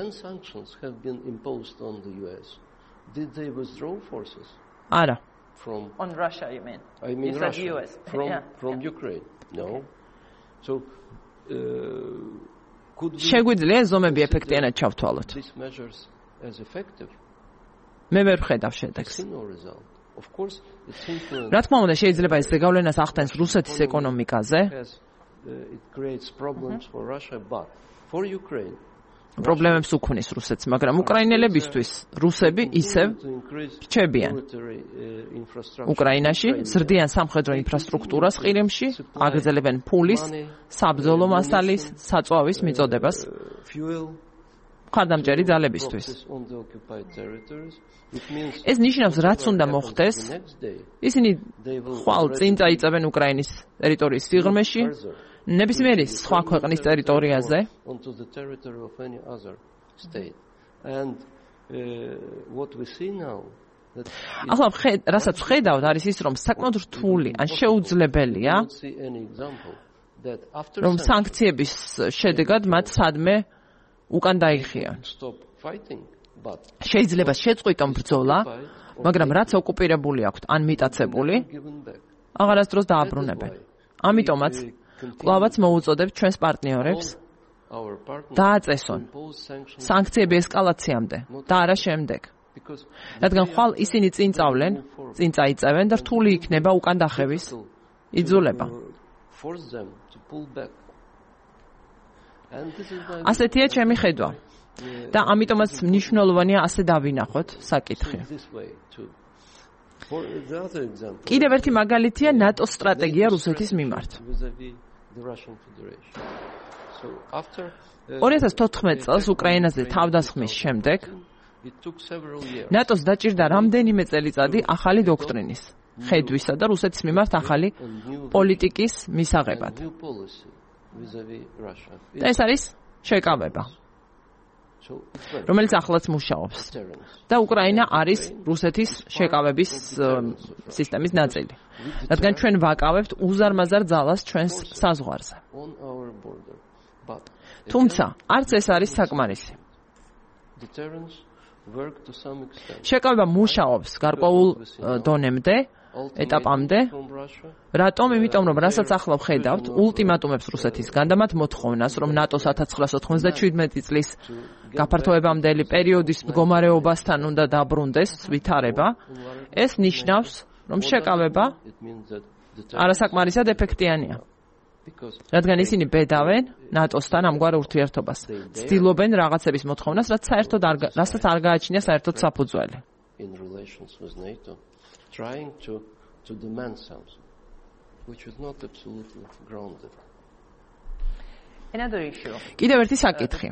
არა. On Russia, you mean? I mean you Russia. U S. From, yeah. from yeah. Ukraine. No. Okay. So, uh, შეგვიძლია ზომები ეფექტიანად ჩავთვალოთ. მე ვერ ვხედავ შედეგს. რა თქმა უნდა, შეიძლება ეს ზეგავლენას ახდენს რუსეთის ეკონომიკაზე. პრობლემებს უქმნის რუსეთს, მაგრამ უკრაინელებისთვის რუსები ისევ რჩებიან უკრაინაში, ზრდიან სამხედრო ინფრასტრუქტურას ყირიმში, აგრძელებენ ფულის, საბრძოლო მასალის, საწვავის მიწოდებას მხარდამჭერი ძალებისთვის. ეს ნიშნავს, რაც უნდა მოხდეს, ისინი ხვალ წინ წაიწევენ უკრაინის ტერიტორიის სიღრმეში, ნებისმიერი სხვა ქვეყნის ტერიტორიაზე. ახლა რასაც ვხედავთ, არის ის, რომ საკმაოდ რთული ან შეუძლებელია, რომ სანქციების შედეგად მათ სადმე უკან დაიხიან. შეიძლება შეწყვიტონ ბრძოლა, მაგრამ რაც ოკუპირებული აქვთ ან მიტაცებული, აღარასდროს დააბრუნებენ. ამიტომაც კვლავაც მოუწოდებთ ჩვენს პარტნიორებს დააწესონ სანქციები ესკალაციამდე და არა შემდეგ. რადგან ხვალ ისინი წინ წავლენ, წინ წაიწევენ და რთული იქნება უკან დახევის იძულება. ასეთია ჩემი ხედვა. და ამიტომაც მნიშვნელოვანია ასე დავინახოთ საკითხი. კიდევ ერთი მაგალითია ნატოს სტრატეგია რუსეთის მიმართ. ორი ათას თოთხმეტ წელს უკრაინაზე თავდასხმის შემდეგ ნატოს დაჭირდა რამდენიმე წელიწადი ახალი დოქტრინის, ხედვისა და რუსეთის მიმართ ახალი პოლიტიკის მისაღებად. და ეს არის შეკავება, რომელიც ახლაც მუშაობს. და უკრაინა არის რუსეთის შეკავების სისტემის ნაწილი. რადგან ჩვენ ვაკავებთ უზარმაზარ ძალას ჩვენს საზღვარზე. თუმცა, არც ეს არის საკმარისი. შეკავება მუშაობს გარკვეულ დონემდე, ეტაპამდე. რატომ? იმიტომ, რომ რასაც ახლა ვხედავთ, ულტიმატუმებს რუსეთისგან და მათ მოთხოვნას, რომ ნატოს ათას ცხრაასა ოცდაშვიდმეტი წლის გაფართოებამდელი პერიოდის მდგომარეობასთან უნდა დაბრუნდეს ვითარება, ეს ნიშნავს, რომ შეკავება არასაკმარისად ეფექტიანია. რადგან ისინი ბედავენ ნატოსთან ამგვარ ურთიერთობას. ცდილობენ რაღაცების მოთხოვნას, რაც საერთოდ არ რასაც არ გააჩნია საერთოდ საფუძველი. trying to to demand something which is not absolutely grounded. Another issue. კიდევ ერთი საკითხი.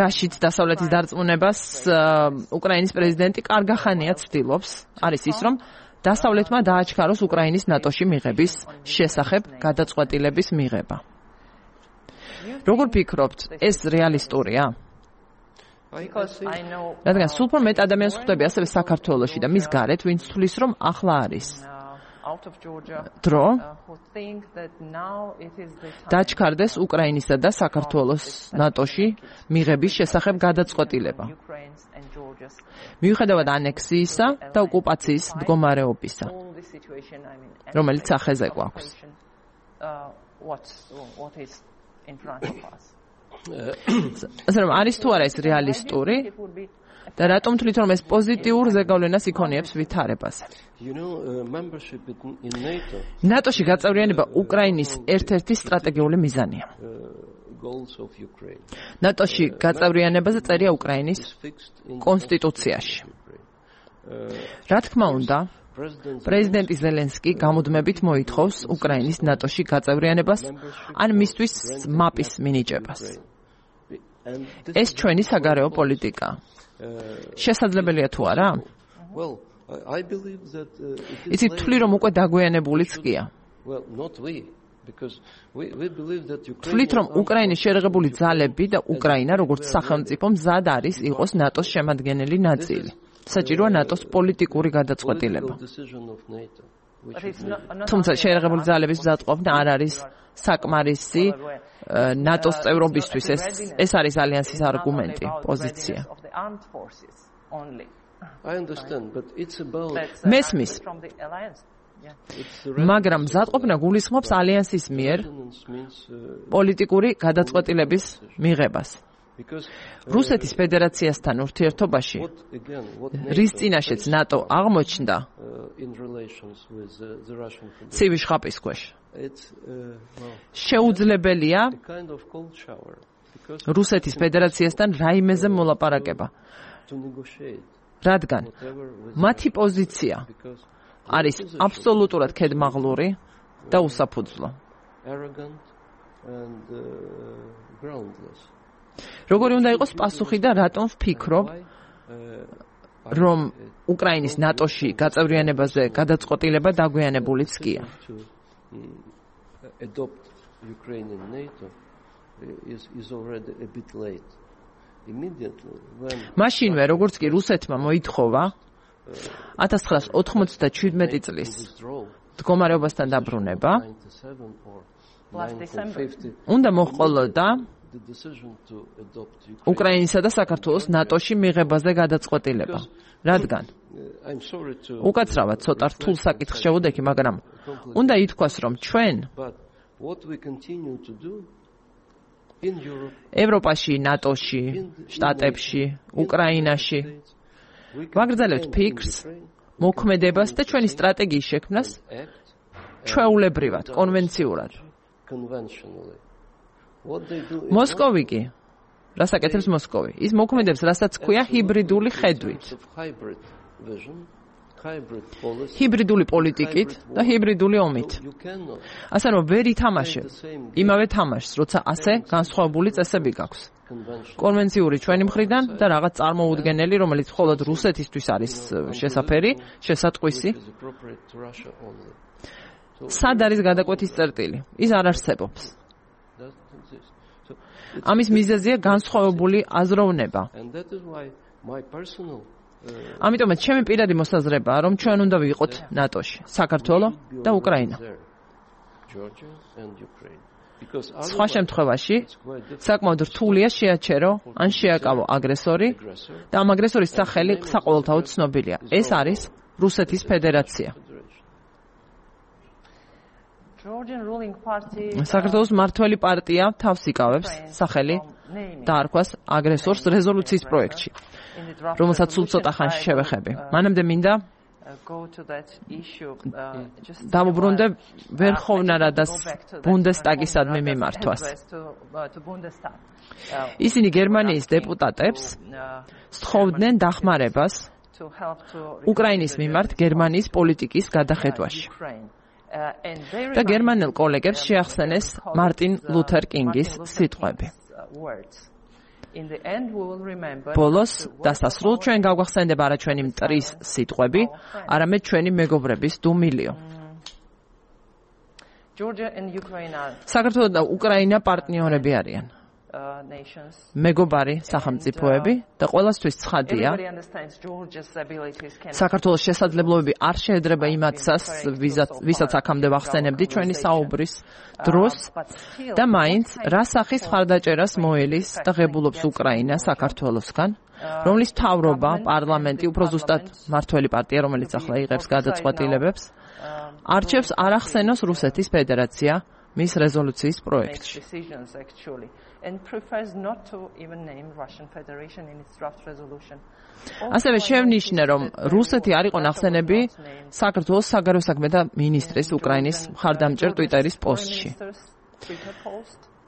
რაშიც დასავლეთის დარწმუნებას უკრაინის პრეზიდენტი კარგახანია ცდილობს, არის ის, რომ დასავლეთმა დააჩქაროს უკრაინის ნატოში მიღების შესახებ გადაწყვეტილების მიღება. როგორ ფიქრობთ, ეს რეალისტურია? რადგან სულ უფრო მეტ ადამიანს ხვდები ასევე საქართველოში და მის გარეთ, ვინც თვლის, რომ ახლა არის დრო დაჩქარდეს უკრაინისა და საქართველოს ნატოში მიღების შესახებ გადაწყვეტილება. მიუხედავად ანექსიისა და ოკუპაციის მდგომარეობისა, რომელიც სახეზე გვაქვს. ასე რომ არის თუ არა ეს რეალისტური და რატომ თვლით, რომ ეს პოზიტიურ ზეგავლენას იქონიებს ვითარებაზე? ნატოში გაწევრიანება უკრაინის ერთ-ერთი სტრატეგიული მიზანია. ნატოში გაწევრიანებაზე წერია უკრაინის კონსტიტუციაში. რა თქმა უნდა, პრეზიდენტი ზელენსკი გამუდმებით მოითხოვს უკრაინის ნატოში გაწევრიანებას ან მისთვის მაპის მინიჭებას. ეს ჩვენი საგარეო პოლიტიკა. შესაძლებელია თუ არა? იცით, თვლი, რომ უკვე დაგვიანებულიც გია. თვლით, რომ უკრაინის შერეღებული ძალები და უკრაინა, როგორც სახელმწიფო, მზად არის იყოს ნატოს შემადგენელი ნაწილი. საჭიროა ნატოს პოლიტიკური გადაწყვეტილება. თუმცა შერეღებული ძალების მზადყოფნა არ არის საკმარისი ნატოს წევრობისთვის. ეს ეს არის ალიანსის არგუმენტი, პოზიცია. მესმის. მაგრამ მზადყოფნა გულისხმობს ალიანსის მიერ პოლიტიკური გადაწყვეტილების მიღებას. რუსეთის ფედერაციასთან ურთიერთობაში, რის წინაშეც ნატო აღმოჩნდა ცივი შხაპის ქვეშ. შეუძლებელია რუსეთის ფედერაციასთან რაიმეზე მოლაპარაკება, რადგან მათი პოზიცია არის აბსოლუტურად ქედმაღლური და უსაფუძვლო. როგორი უნდა იყოს პასუხი და რატომ ვფიქრობ, რომ უკრაინის ნატოში გაწევრიანებაზე გადაწყვეტილება დაგვიანებულიც კია. მაშინვე, როგორც კი რუსეთმა მოითხოვა ათას ცხრაას ოთხმოცდაჩვიდმეტი წლის მდგომარეობასთან დაბრუნება, უნდა მოჰყოლოდა უკრაინისა და საქართველოს ნატოში მიღებაზე გადაწყვეტილება, რადგან უკაცრავად ცოტა რთულ საკითხს შევუდექი, მაგრამ უნდა ითქვას, რომ ჩვენ ევროპაში, ნატოში, შტატებში, უკრაინაში ვაგრძელებთ ფიქრს, მოქმედებას და ჩვენი სტრატეგიის შექმნას ჩვეულებრივად, კონვენციურად. მოსკოვი კი, რას აკეთებს მოსკოვი? ის მოქმედებს, რასაც ქვია ჰიბრიდული ხედვით. ჰიბრიდული პოლიტიკით და ჰიბრიდული ომით. ასე რომ ვერ ითამაშებ იმავე თამაშს, როცა ასე განსხვავებული წესები გაქვს. კონვენციური ჩვენი მხრიდან და რაღაც წარმოუდგენელი, რომელიც მხოლოდ რუსეთისთვის არის შესაფერი, შესატყვისი. სად არის გადაკვეთის წერტილი? ის არ არსებობს. ამის მიზეზია განსხვავებული აზროვნება. ამიტომაც ჩემი პირადი მოსაზრებაა, რომ ჩვენ უნდა ვიყოთ ნატოში, საქართველო და უკრაინა. სხვა შემთხვევაში საკმაოდ რთულია შეაჩერო ან შეაკავო აგრესორი და ამ აგრესორის სახელი საყოველთაოდ ცნობილია. ეს არის რუსეთის ფედერაცია. საქართველოს მმართველი პარტია თავს იკავებს სახელი დაარქვას აგრესორს რეზოლუციის პროექტში, რომელსაც სულ ცოტა ხანში შევეხები. მანამდე მინდა დავუბრუნდე ვერხოვნა რადას ბუნდესტაგისადმი მიმართვას. ისინი გერმანიის დეპუტატებს სთხოვდნენ დახმარებას უკრაინის მიმართ გერმანიის პოლიტიკის გადახედვაში. და გერმანელ კოლეგებს შეახსენეს მარტინ ლუთერ კინგის სიტყვები. ბოლოს დასასრულ ჩვენ გავგახსენდება არა ჩვენი მტრის სიტყვები, არამედ ჩვენი მეგობრების დუმილიო. საქართველო და უკრაინა პარტნიორები არიან. მეგობარი სახელმწიფოები და ყველასთვის ცხადია, საქართველოს შესაძლებლობები არ შეედრება იმათსას, ვისაც აქამდე ვახსენებდი ჩვენი საუბრის დროს და მაინც რა სახის მხარდაჭერას მოელის და ღებულობს უკრაინა საქართველოსგან, რომლის მთავრობა, პარლამენტი, უფრო ზუსტად მმართველი პარტია, რომელიც ახლა იღებს გადაწყვეტილებებს, არჩევს არ ახსენოს რუსეთის ფედერაცია მის რეზოლუციის პროექტში. ასევე შევნიშნე, რომ რუსეთი არ იყო ნახსენები საქართველოს საგარეო საქმეთა მინისტრის უკრაინის მხარდამჭერ ტვიტერის პოსტში.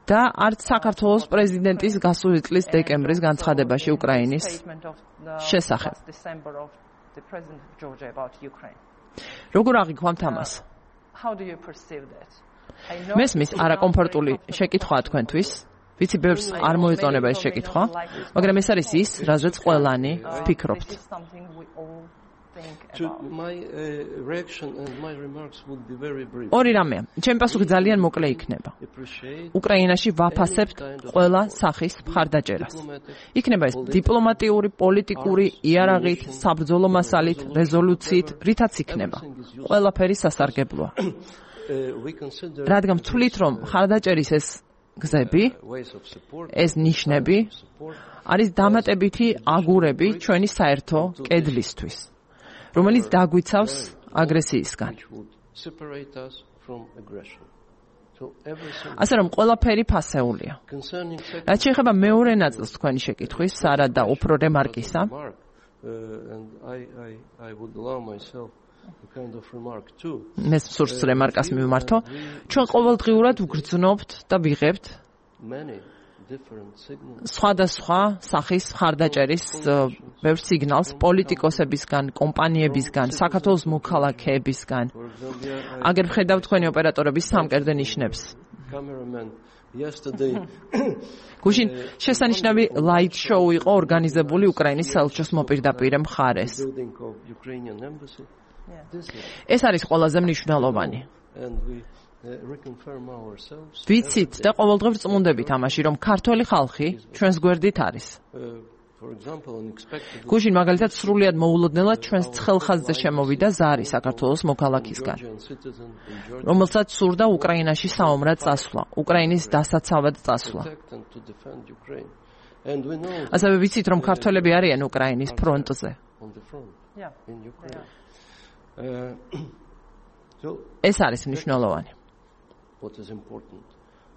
და არც საქართველოს პრეზიდენტის გასული წლის დეკემბრის განცხადებაში უკრაინის შესახებ. როგორ აღიქვამთ ამას? მესმის არაკომფორტული შეკითხვა თქვენთვის, ვიცი ბევრს არ მოეწონება ეს შეკითხვა, მაგრამ ეს არის ის, რაზეც ყველანი ვფიქრობთ. ორი რამეა, ჩემი პასუხი ძალიან მოკლე იქნება. უკრაინაში ვაფასებთ ყველა სახის მხარდაჭერას. იქნება ეს დიპლომატიური, პოლიტიკური, იარაღით, საბრძოლო მასალით, რეზოლუციით, რითაც იქნება. ყველაფერი სასარგებლოა. რადგან ვთვლით, რომ მხარდაჭერის ეს გზები, ეს ნიშნები არის დამატებითი აგურები ჩვენი საერთო კედლისთვის, რომელიც დაგვიცავს აგრესიისგან. separate us from aggression. So everything ასე რომ ყველაფერი ფასეულია. concerning რაც შეეხება მეორე ნაწილს თქვენი შეკითხვის, სარა და უფრო რემარკისა, remark, uh, and I I I would allow myself a kind of remark too. მე სურს რემარკას მივმართო. ჩვენ ყოველდღიურად ვგრძნობთ და ვიღებთ Many different signals. სხვადასხვა სახის მხარდაჭერის ბევრ სიგნალს პოლიტიკოსებისგან, კომპანიებისგან, საქართველოს მოქალაქეებისგან. For example, I აგერ ვხედავ თქვენი ოპერატორების სამკერდე ნიშნებს. cameraman yesterday გუშინ შესანიშნავი ლაით შოუ იყო ორგანიზებული უკრაინის საელჩოს მოპირდაპირე მხარეს. building of Ukrainian embassy. This is, ეს არის ყველაზე მნიშვნელოვანი. and we uh, reconfirm ourselves. ვიცით და ყოველდღე ვწმუნდებით ამაში, რომ ქართველი ხალხი ჩვენს გვერდით არის. Uh, for example, unexpectedly გუშინ მაგალითად სრულიად მოულოდნელად ჩვენს ცხელხაზზე შემოვიდა ზარი საქართველოს მოქალაქისგან, Georgian citizen in Georgia რომელსაც სურდა უკრაინაში საომრად წასვლა, უკრაინის დასაცავად წასვლა. protect and to defend Ukraine. And we know ასევე ვიცით, რომ ქართველები არიან უკრაინის ფრონტზე. on the front Yeah. in Ukraine. Uh, so ეს არის მნიშვნელოვანი. what is important?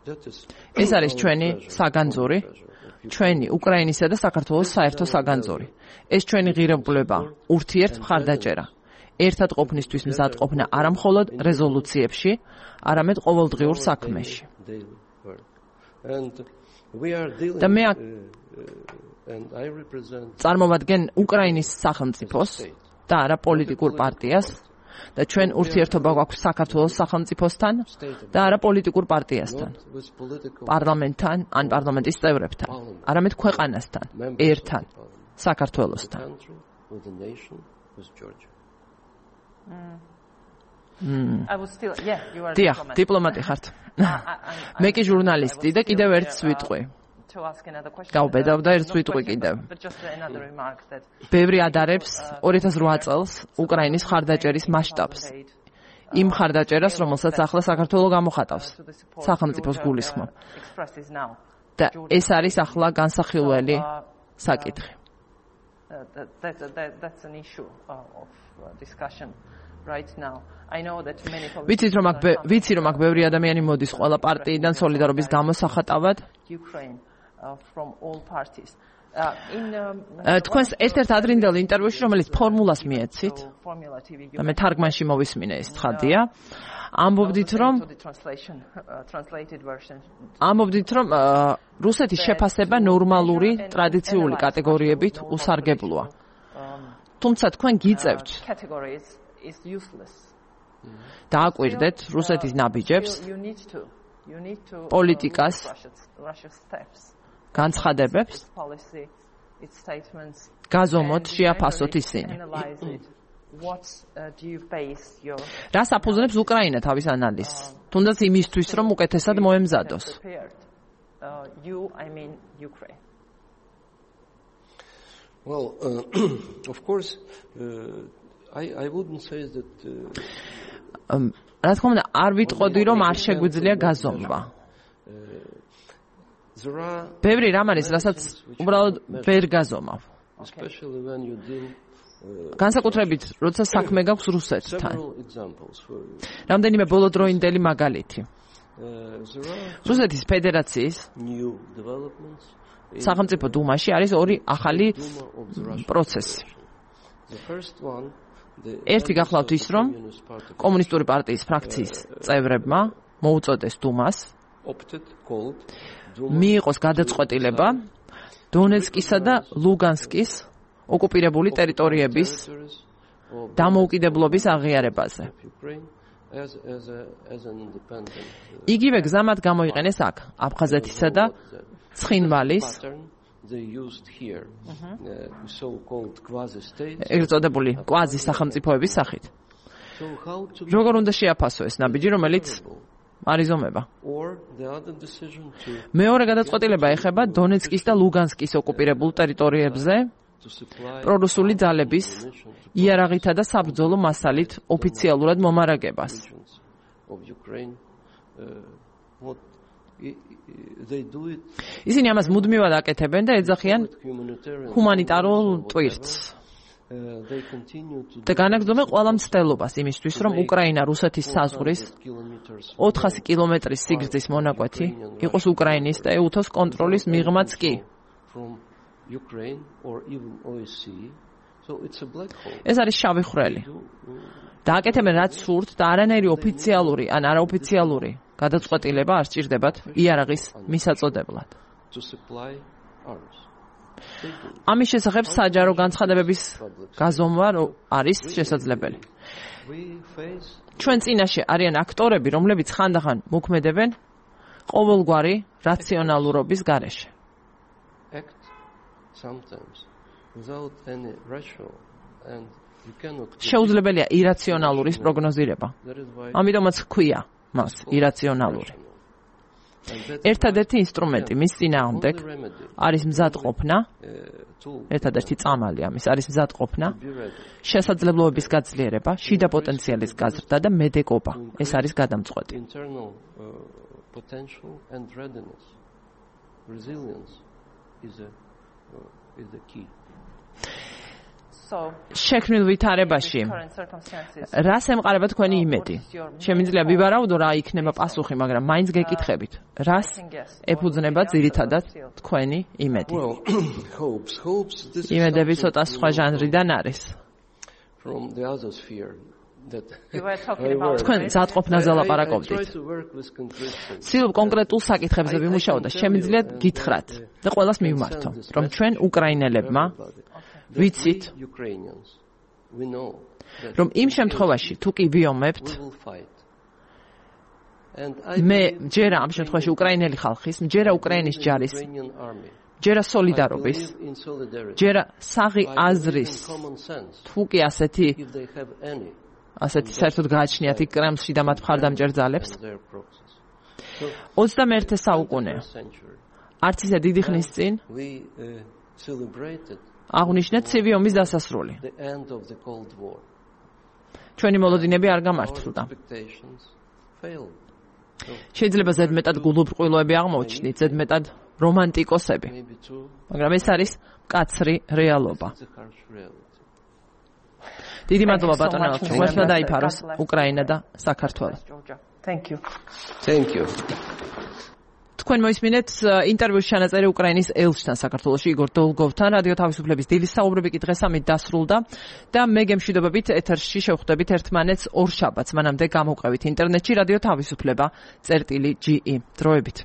That is ეს არის our ჩვენი pleasure, საგანძური, our pleasure of ჩვენი უკრაინისა და საქართველოს საერთო საგანძური. ეს ჩვენი ღირებულება, ურთიერთ მხარდაჭერა. ერთად ყოფნისთვის მზადყოფნა არა მხოლოდ რეზოლუციებში, არამედ ყოველდღიურ საქმეში. daily work. And we are dealing და მე აქ uh, uh, and I represent წარმოვადგენ უკრაინის სახელმწიფოს და არა პოლიტიკურ პარტიას და ჩვენ ურთიერთობა გვაქვს საქართველოს სახელმწიფოსთან და არა პოლიტიკურ პარტიასთან, not with political პარლამენტთან ან პარლამენტის წევრებთან, არამედ ქვეყანასთან, members ერთთან, of the parliament, საქართველოსთან. country, with the nation, with Georgia. I was still, yeah, you are a დიახ, diplomat. დიპლომატი ხართ. I- I- მე კი I- ჟურნალისტი I და was კიდევ still ერთს here, uh, ვიტყვი. to ask another question. გავბედავ და Uh, ერთს not ვიტყვი question, კიდევ. but just another remark that ბევრი ადარებს ორი ათას ოთხ წელს უკრაინის ხარდაჭერის მასშტაბს. იმ ხარდაჭერას, რომელსაც ახლა საქართველო გამოხატავს, to the support სახელმწიფოს Georgia, გულისხმობ. uh, expresses now. და ეს არის ახლა განსახილველი საკითხი. Uh, that, that, that, that's an issue uh, of uh, discussion right now. I know that many ვიცით რომ აქ ბე- politicians ვიცი რომ აქ ბევრი ადამიანი მოდის ყველა პარტიიდან სოლიდარობის გამოსახატავად. Ukraine uh, from all parties. Uh, in um, Uh, თქვენს ერთ-ერთ ადრინდელ ინტერვიუში, რომელიც ფორმულას მიეცით, Formula T V და მე თარგმანში მოვისმინე ეს ცხადია, ამბობდით რომ to the translation uh, translated version. ამბობდით რომ uh, რუსეთის შეფასება ნორმალური ტრადიციული კატეგორიებით უსარგებლოა. თუმცა თქვენ გიწევთ Categories is useless. დააკვირდეთ რუსეთის ნაბიჯებს, You, you need to you need to uh, პოლიტიკას, look at Russia's, Russia's steps. განცხადებებს, Its policy, its statements. გაზომოთ, and შეაფასოთ generally ისინი. analyze it. What uh, do you base your რას აფუძნებს უკრაინა თავის ანალიზს? თუნდაც იმისთვის, რომ უკეთესად მოემზადოს. prepared? Uh, you, I mean Ukraine. Well, uh, of course, uh, I I wouldn't say that. Uh, Um, რა თქმა უნდა, არ ვიტყოდი, რომ არ შეგვიძლია გაზომვა. there are, ბევრი რამ არის, რასაც უბრალოდ ვერ გაზომავ. especially when you deal განსაკუთრებით, როცა საქმე გაქვს რუსეთთან. several examples for you. რამდენიმე ბოლოდროინდელი მაგალითი. Uh, there are რუსეთის ფედერაციის new developments in სახელმწიფო დუმაში არის ორი ახალი Duma of the Russian პროცესი. Federation. The first one, the ერთი გახლავთ ის, რომ Communist Party კომუნისტური პარტიის ფრაქციის წევრებმა მოუწოდეს დუმას opted, called Duma მიიღოს გადაწყვეტილება დონეცკისა და ლუგანსკის ოკუპირებული ტერიტორიების territories of დამოუკიდებლობის აღიარებაზე. Ukraine as as a as an independent uh, იგივე გზა მათ გამოიყენეს აქ, აფხაზეთისა და ცხინვალის pattern they used here, uh, so-called quasi-states. ეგრეთ წოდებული კვაზი სახელმწიფოების სახით. So how to როგორ უნდა შეაფასო ეს ნაბიჯი, რომელიც არიზომება? or the other decision to მეორე გადაწყვეტილება ეხება დონეცკის და ლუგანსკის ოკუპირებულ ტერიტორიებზე to supply პრორუსული ძალების ammunition to იარაღითა და საბრძოლო მასალით ოფიციალურად მომარაგებას. regions of Ukraine. Uh, what i- i- they do it ისინი ამას მუდმივად აკეთებენ და ეძახიან with humanitarian ჰუმანიტარულ or whatever, ტვირთს. და განაგრძობენ ყველა მცდელობას იმისთვის, რომ უკრაინა რუსეთის საზღვრის ოთხასი კილომეტრის სიგრძის მონაკვეთი იყოს უკრაინის და ეუთოს კონტროლის მიღმაც კი. ეს არის შავი ხვრელი. და აკეთებენ რაც სურთ და არანაირი ოფიციალური ან არაოფიციალური გადაწყვეტილება არ სჭირდებათ იარაღის მისაწოდებლად. ამის შესახებ საჯარო განცხადებების გაზომვა არის შესაძლებელი. ჩვენ წინაშე არიან აქტორები, რომლებიც ხანდახან მოქმედებენ ყოველგვარი რაციონალურობის გარეშე. შეუძლებელია ირაციონალურის პროგნოზირება. ამიტომაც ჰქვია მას ირაციონალური. ერთადერთი ინსტრუმენტი მის წინააღმდეგ არის მზადყოფნა, ერთადერთი წამალი ამის არის მზადყოფნა, შესაძლებლობების გაძლიერება, შიდა პოტენციალის გაზრდა და მედეგობა. ეს არის გადამწყვეტი. შექმნილ ვითარებაში რას ემყარება თქვენი იმედი? შემიძლია ვივარაუდო რა იქნება პასუხი, მაგრამ მაინც გეკითხებით, რას ეფუძნება ძირითადად თქვენი იმედი? იმედები ცოტა სხვა ჟანრიდან არის. თქვენ მზადყოფნაზე ლაპარაკობდით. ცდილობ კონკრეტულ საკითხებზე ვიმუშაო და შემიძლია გითხრათ და ყველას მივმართო, რომ ჩვენ უკრაინელებმა ვიცით, რომ იმ შემთხვევაში თუ კი ვიომებთ, მე ჯერა ამ შემთხვევაში უკრაინელი ხალხის, ჯერა უკრაინის ჯარის, ჯერა სოლიდარობის, ჯერა საღი აზრის, თუ კი ასეთი ასეთი საერთოდ გააჩნიათ იქ კრემლში და მათ მხარდამჭერ ძალებს. ოცდამეერთე საუკუნე. არც ისე დიდი ხნის წინ აღნიშნეთ ცივი ომის დასასრული. ჩვენი მოლოდინები არ გამართლდა. შეიძლება ზედმეტად გულუბრყვილოები აღმოჩნდით, ზედმეტად რომანტიკოსები. მაგრამ ეს არის მკაცრი რეალობა. დიდი მადლობა ბატონო ალჩო, მოხდა დაიფაროს უკრაინა და საქართველო. Thank you. Thank you. თქვენ მოისმინეთ ინტერვიუს ჩანაწერი უკრაინის ელჩთან საქართველოში იგორ დოლგოვთან. რადიო თავისუფლების დილის საუბრები კი დღეს ამით დასრულდა და მე გემშვიდობებით ეთერში შევხვდებით ერთმანეთს ორ შაბათს. მანამდე გამოვყევით ინტერნეტში რადიო თავისუფლება წერტილი ჯი ი. დროებით.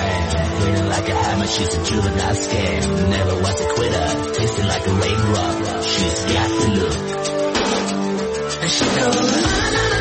man. Hitting like a hammer, she's a juvenile scam. Never was a quitter, tasting like a raindrop. She's got the look. And she goes, na na na.